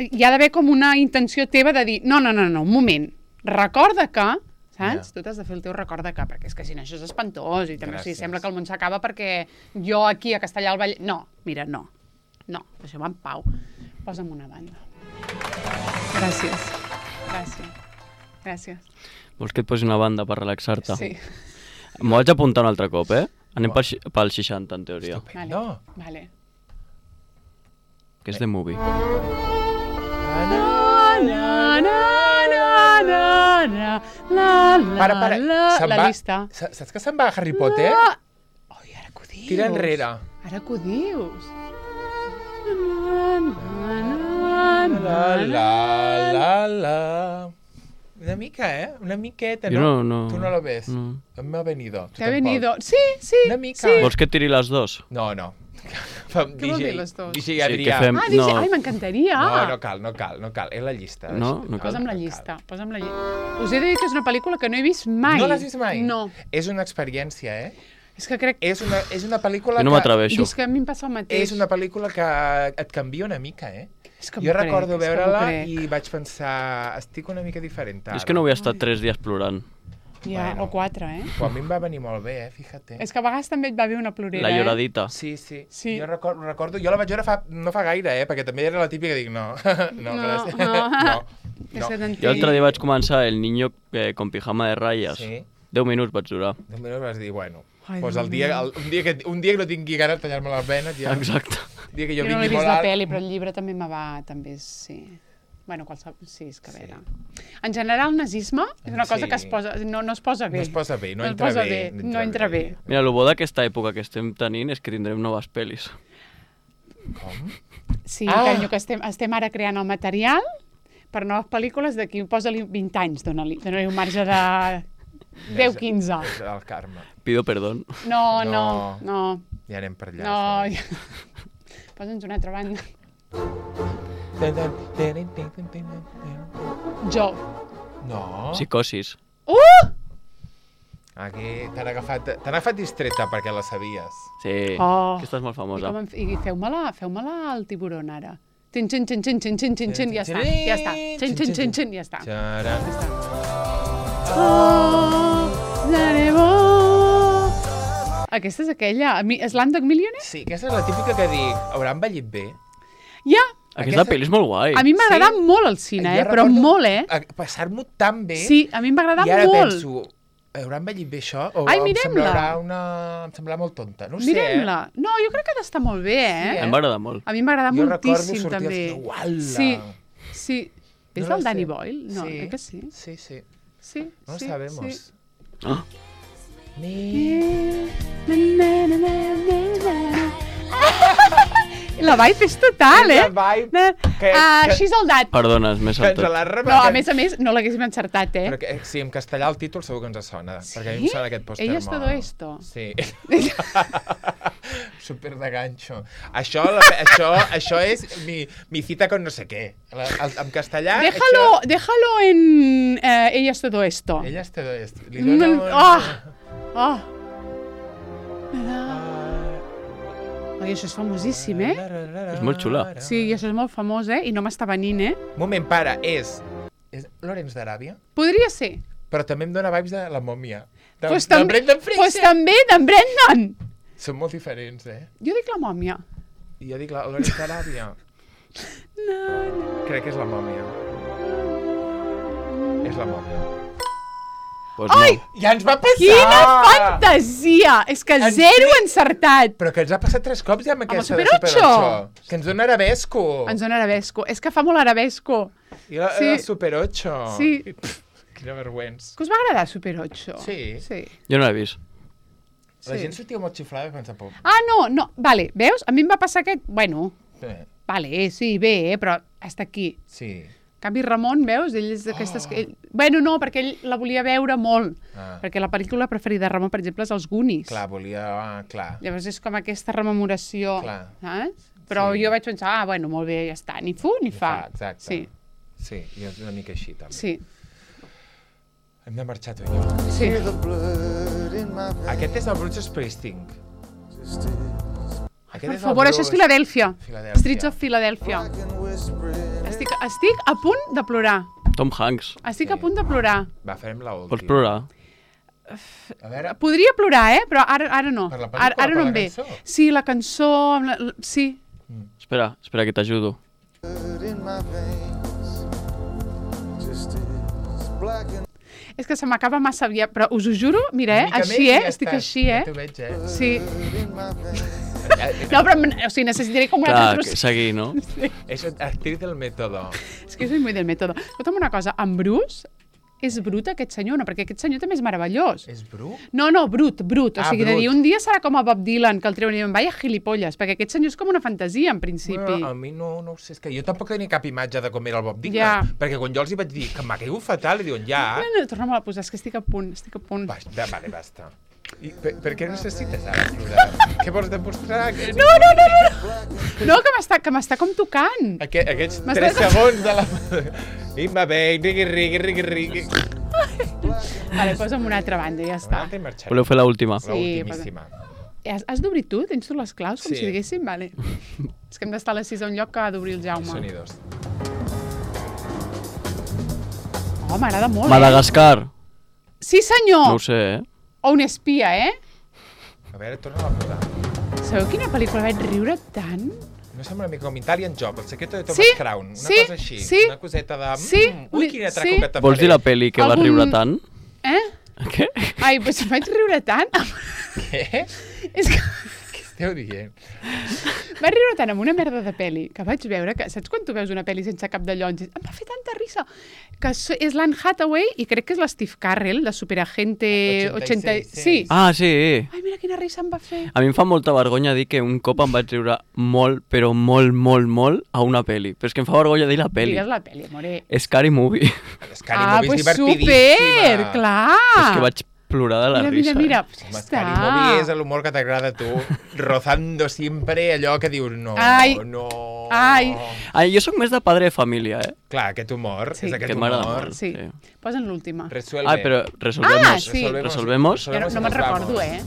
hi ha d'haver com una intenció teva de dir no, no, no, no, un moment, recorda que... Saps? Ja. Tu t'has de fer el teu recorda que, perquè és que si no això és espantós i també o sigui, Gràcies. sembla que el món s'acaba perquè jo aquí a Castellà al Vallès... No, mira, no. No, deixeu-me en pau. Posa'm una banda. Gràcies. Gràcies. Gràcies. Vols que et posi una banda per relaxar-te? Sí. M'ho vaig apuntar un altre cop, eh? Anem pel, xi- pel seixanta, en teoria. Vale. No. Vale. Que és de movie. Na, na, na, na, na, na, la, la, Para, para, la, se'n la va, llista. sa- saps que se'n va Harry Potter? Ah! Ai, ara que ho dius. Tira enrere. Ara que ho dius. Na, na, na, La, na, la, la, la. Una mica, eh? Una miqueta, Jo no? no- no. Tu no lo ves? No. Me ha venido. Tu Te ha tampoc. venido. Sí, sí. Una mica. Sí. Vols que et tiri les dos? No, no. Què vol dir les dos? D J Sí, que Adrià. fem- Ah, dice, No. ai, m'encantaria. No, no cal, no cal, no cal. És la llista. No? No cal. Posa'm la llista, posa'm la llista. Us he de dir que és una pel·lícula que no he vist mai. No l'has vist mai? No. És una experiència, eh? És que crec... És una, és una pel·lícula Jo no que... m'atreveixo. És que a mi em passa el mateix. És una pel·lícula que et canvia una mica, eh? És que Jo m'ho crec, recordo és que m'ho veure-la crec. i vaig pensar, estic una mica diferent ara. És que no vull estar tres dies plorant. Ja, Bueno. o quatre, eh? Però a mi em va venir molt bé, eh? Fíjate. És que a vegades també et va bé una plorera, La eh? lloradita. Sí, sí. Sí. Jo recordo, recordo, jo la vaig veure fa, no fa gaire, eh? Perquè també era la típica que dic, no, no, No, gràcies. no. no, És no. que t'entenc. Jo l'altre dia vaig començar El niño eh, con pijama de ratlles. Sí. Deu minuts vaig durar. De moment vas dir, bueno, Ai, pues Déu el dia, meu. el, un, dia que, un dia que no tingui ganes de tallar-me les venes, ja... Exacte. El dia que jo Jo no vingui l'he vist molt la alt... pel·li, però el llibre també me va... També, sí. Bueno, qualsevol... Sí, és que a veure... En general, el nazisme és una cosa Sí. que es posa... No, no es posa bé. No es posa bé, no es entra posa bé, bé. no No entra entra bé. bé. Mira, el bo d'aquesta època que estem tenint és que tindrem noves pel·lis. Com? Sí, Ah! carinyo, que estem, estem ara creant el material per noves pel·lícules d'aquí, posa-li vint anys, dona-li dona un marge de deu quinze. És el karma. Pido perdón. No, no, No. no, Ja anem per allà. no. sí. Posa'ns una altra banda. Jo. No. Psicosis. Uh! Aquí t'han agafat, t'han agafat distreta perquè la sabies. Sí, Oh. aquesta és molt I, famosa. com en, i feu-me-la feu-me-la al tiburon ara. Xin, xin, xin, xin, xin, xin, xin, xin, ja està, ja està. Xin, xin, xin, xin, ja està. Xaran. Ja està. Oh, Zarebo. Aquesta és aquella. A mi, Slumdog Millionaire? Sí, aquesta és la típica que dic, haurà envellit bé? Ja. Aquesta Aquesta- pel·li és molt guai. A mi m'ha agradat Sí. molt al cine, Jo eh? Però recordo molt, eh? a- Passar-m'ho tan bé. Sí, a mi em va agradar I ara molt. penso, haurà envellit bé això? O Ai, em mirem-la. semblarà una... Em semblarà molt tonta. No ho sé, eh? Mirem-la. No, jo crec que ha d'estar molt bé, eh? Sí, Em va agradar molt. A mi em va agradar Jo recordo moltíssim, sortir al també. cine, uala. Sí, sí. És No lo del Danny sé. Boyle? No, Sí. crec que sí. Sí, sí. Sí, No sí, sabemos. sí. Ah, Ni... La vibe és total, eh? És la vibe que- Uh, que- she's all that. Perdona, és més Que ens saltat. l'ha Però, a remarcat. més a més, no l'haguéssim encertat, eh? Però que, sí, en castellà el títol segur que ens sona, Sí? perquè a mi em sona aquest pòster Ella és molt. todo esto. Sí. Super de ganxo. Això, la, això, això és mi, mi cita con no sé què. La, el, en castellà... Déjalo, déjalo en eh, ella es todo esto. Això, ella és todo esto. Li Mm, dona un... ah, ah. Me da- Oi, això és famosíssim, eh? És molt xula. Sí, i això és molt famós, eh? I no m'està venint, eh? Moment, para, és... És Lorenz d'Aràbia? Podria ser. Però també em dona vibes de la mòmia. De, Pues de també, Brendan Fraser. pues també d'en Brendan. Són molt diferents, eh? Jo dic la mòmia. I jo dic la Lorenz d'Aràbia. No, no. Crec que és la mòmia. És la mòmia. Pues Ai! no. Ja ens va passar! Quina fantasia! És que En zero fi- encertat. Però que ens ha passat tres cops ja amb aquesta Super de Super ocho. ocho. Que ens dona arabesco. Ens dona arabesco. És que fa molt arabesco. I la, Sí. la Super ocho. Sí. Pff, quina vergüenza. Que us va agradar Super ocho? Sí. Sí. Jo no l'he vist. La Sí. gent sortia molt xiflada quan s'ha por. Ah, no, no. Vale, veus? A mi em va passar aquest... Bueno, Sí. vale, sí, bé, eh, però hasta aquí. Sí. En canvi, Ramon, veus? Ell és d'aquestes... Oh. Ell... Bueno, no, perquè ell la volia veure molt. Ah. Perquè la pel·lícula preferida de Ramon, per exemple, és Els Goonies. Clar, volia... Ah, clar. Llavors és com aquesta rememoració. Clar. Saps? Però Sí. jo vaig pensar, ah, bueno, molt bé, ja està. Ni fu ni, Ni fa. fa, exacte. Sí, Sí, i és una mica així, també. sí, Hem de marxar tu i jo. sí. The blood in my veins. Aquest és el Bruce Springsteen. Aquest Per és el favor, això és Bruce- Filadèlfia. Filadèlfia. Streets of Philadelphia. And whispering. Estic, estic a punt de plorar. Tom Hanks. Estic Sí. a punt de plorar. Va, farem la última. Pots plorar? A veure, Podria plorar, eh? Però ara, ara no. Per la pel·lícula, Ara, ara per no la em ve. cançó? Sí, la cançó... Amb la, la, sí. Espera, espera que t'ajudo. Blood in my veins. Just as black and És que se m'acaba massa aviat, però us ho juro, mira, eh? una mica Així, més i eh? ja Estic estàs. així, eh? Ja t'ho veig, eh? Sí. in my veins. No, però o sigui, necessitaré com una Clar, altra que seguir, no? És actriz del método. És que soy muy del método. Escolta'm una cosa, en Bruce és brut aquest senyor, no? Perquè aquest senyor també és meravellós. És bru? No, no, brut, brut. O Ah, sigui, de brut. dir, un dia serà com a Bob Dylan, que el treuen i diuen, vaya gilipolles, perquè aquest senyor és com una fantasia, en principi. Bueno, a mi no, no ho sé, és que jo tampoc tenia cap imatge de com era el Bob Dylan, Ja. perquè quan jo els hi vaig dir que m'ha caigut fatal, li diuen, ja, No, no, torna'm a posar, és que estic a punt, estic a punt. va, va, vale, basta. I per, per què necessites ara plorar? Què vols demostrar? Que... No, no, no, no, no, que m'està que m'està com tocant. Aquest, aquests M'has tres de- segons de la... I va bé, rigui, rigui, rigui, rigui. Vale, posa'm una altra banda, ja està. Està. Marxarem. Voleu fer l'última? Sí, La ultimíssima. Has, has d'obrir tu? Tens tu les claus, com Sí. si diguéssim? Vale. És que hem d'estar a les sis a un lloc que ha d'obrir el Jaume. Sonidos. Oh, m'agrada molt, eh? Madagascar. Sí, senyor! No ho sé, eh? O un espia, eh? A veure, torna a posar. Sabeu quina pel·lícula vaig riure tant? No sembla una mica com Italian Job, el secreto de Thomas Sí, Crown. Una sí, cosa així. sí. Una coseta de... Sí, Mm, ui, quin atraco sí. que te Vols dir la faré. pel·li que va Algun- riure tant? Eh? Què? Ai, doncs vaig riure tant. Què? És que Què esteu dient? vaig riure tant amb una merda de pel·li que vaig veure que, saps quan tu veus una pel·li sense cap de llonys? Em va fer tanta risa. Que so- és l'Anne Hathaway i crec que és l'Steve Carell, de Superagente ochenta y ochenta... seis. Sí. Ah, sí. Ai, mira quina risa em va fer. A mi em fa molta vergonya dir que un cop em vaig riure molt, però molt, molt, molt a una pel·li. Però és que em fa vergonya dir la pel·li. Digues la pel·li, amore. Scary Movie. Scary Ah, Movie pues és super, divertidíssima. clar. És que vaig plorar de la mira, risa. mira, mira, eh? ja Home, està. Scary Movie és l'humor que t'agrada a tu, rozando sempre allò que dius no, Ai. no... Ai. Ai, jo sóc més de padre de família, eh? Clar, aquest humor, Sí. és aquest Que m'agrada humor. molt. Sí. Sí. Posa'n l'última. Resuelve. Ah, però resolvemos. Ah, sí. Resolvemos. Jo no, no y me'n nos recordo, vamos. eh?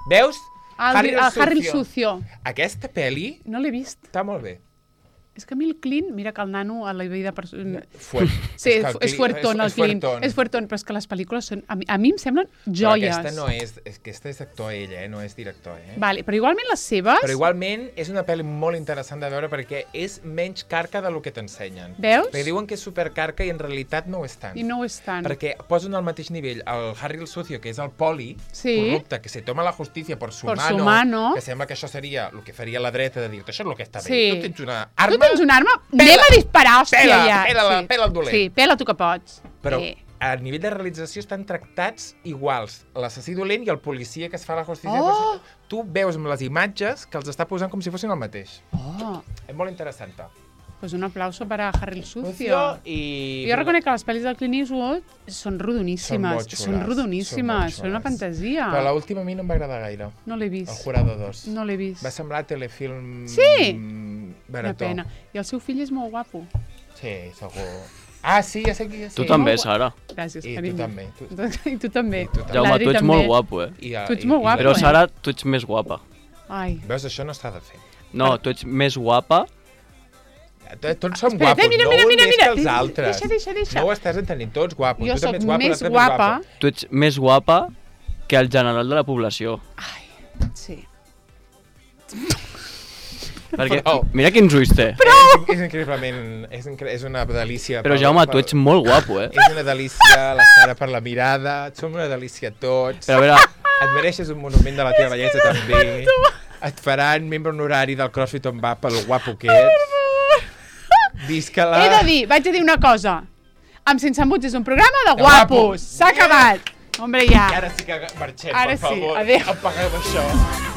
Veus? El, el, el Harry el Sucio. Aquesta pel·li No l'he vist. està molt bé. És que a mi el Clint, mira que el nano a la vida... Per... Fuert. Sí, que és, el és Clint- fuertón, el és Clint. fuertón. És fuertón, però és que les pel·lícules són... A mi, a mi em semblen Però joies. aquesta no és... és aquesta és actor ell, eh? No és director, eh? Vale, però igualment les seves... Però igualment és una pel·li molt interessant de veure perquè és menys carca del que t'ensenyen. Veus? Perquè diuen que és supercarca i en realitat no ho és tant. I no ho és tant. Perquè posen al mateix nivell el Harry el Sucio, que és el poli Sí. corrupte, que se toma la justícia por su, Por mano, su mano. que sembla que això seria el que faria la dreta de dir-te això és el que està bé. Sí. Tu tens una arma... Tu tens una arma, Pela. anem a disparar, hòstia, Pela, ja. pela la- sí. pela el dolent. Sí, pela tu que pots. Però Sí. a nivell de realització estan tractats iguals. L'assassí dolent i el policia que es fa la justícia. Oh! Tu veus amb les imatges que els està posant com si fossin el mateix. Oh, És molt interessant. pues un aplauso para Harry el Sucio. I... Jo reconec que les pel·lis del Clint Eastwood són rodoníssimes. molt xules, Són rodoníssimes, són són una molt xules. fantasia. Però l'última a mi no em va agradar gaire. No l'he El vist. Jurado dos. No l'he vist. Va semblar telefilm... Sí? mm, Una barató. pena. I el seu fill és molt guapo. Sí, segur. Ah, sí, ja sé qui és. Tu sí. també, Molt gua- Sara. Gràcies, I tu carinyo. també. Tu... I tu també. I tu també. Jaume, L'Adri tu ets també. molt guapo, eh? I, Tu ets molt guapo, Però, eh? Sara, tu ets més guapa. Ai. Veus, això no s'ha de fer. No, tu ets més guapa. Tots som Espera't, guapos, mira, no mira, un mira, més mira. que els altres. Deixa, deixa, deixa. No ho estàs entenent, tots guapos. Jo tu també sóc ets guapo, més l'altre guapa. més guapo. Tu ets més guapa que el general de la població. Ai, sí. Perquè, Prou. mira quins ulls té. És, és increïblement... És, incre... és una delícia. Però, pel- Jaume, pel- tu ets molt guapo, eh? És una delícia, la Sara per la mirada, som una delícia tots. Però, a veure, Et mereixes un monument de la teva bellesa també. Et faran membre honorari del CrossFit on va pel guapo que ets. Visca-la. He de dir, vaig a dir una cosa. Amb Sense Embuts és un programa de De guapos. guapos. S'ha acabat. Hombre, ja. I ara sí que marxem, Ara per sí, favor. adéu. Apagueu això.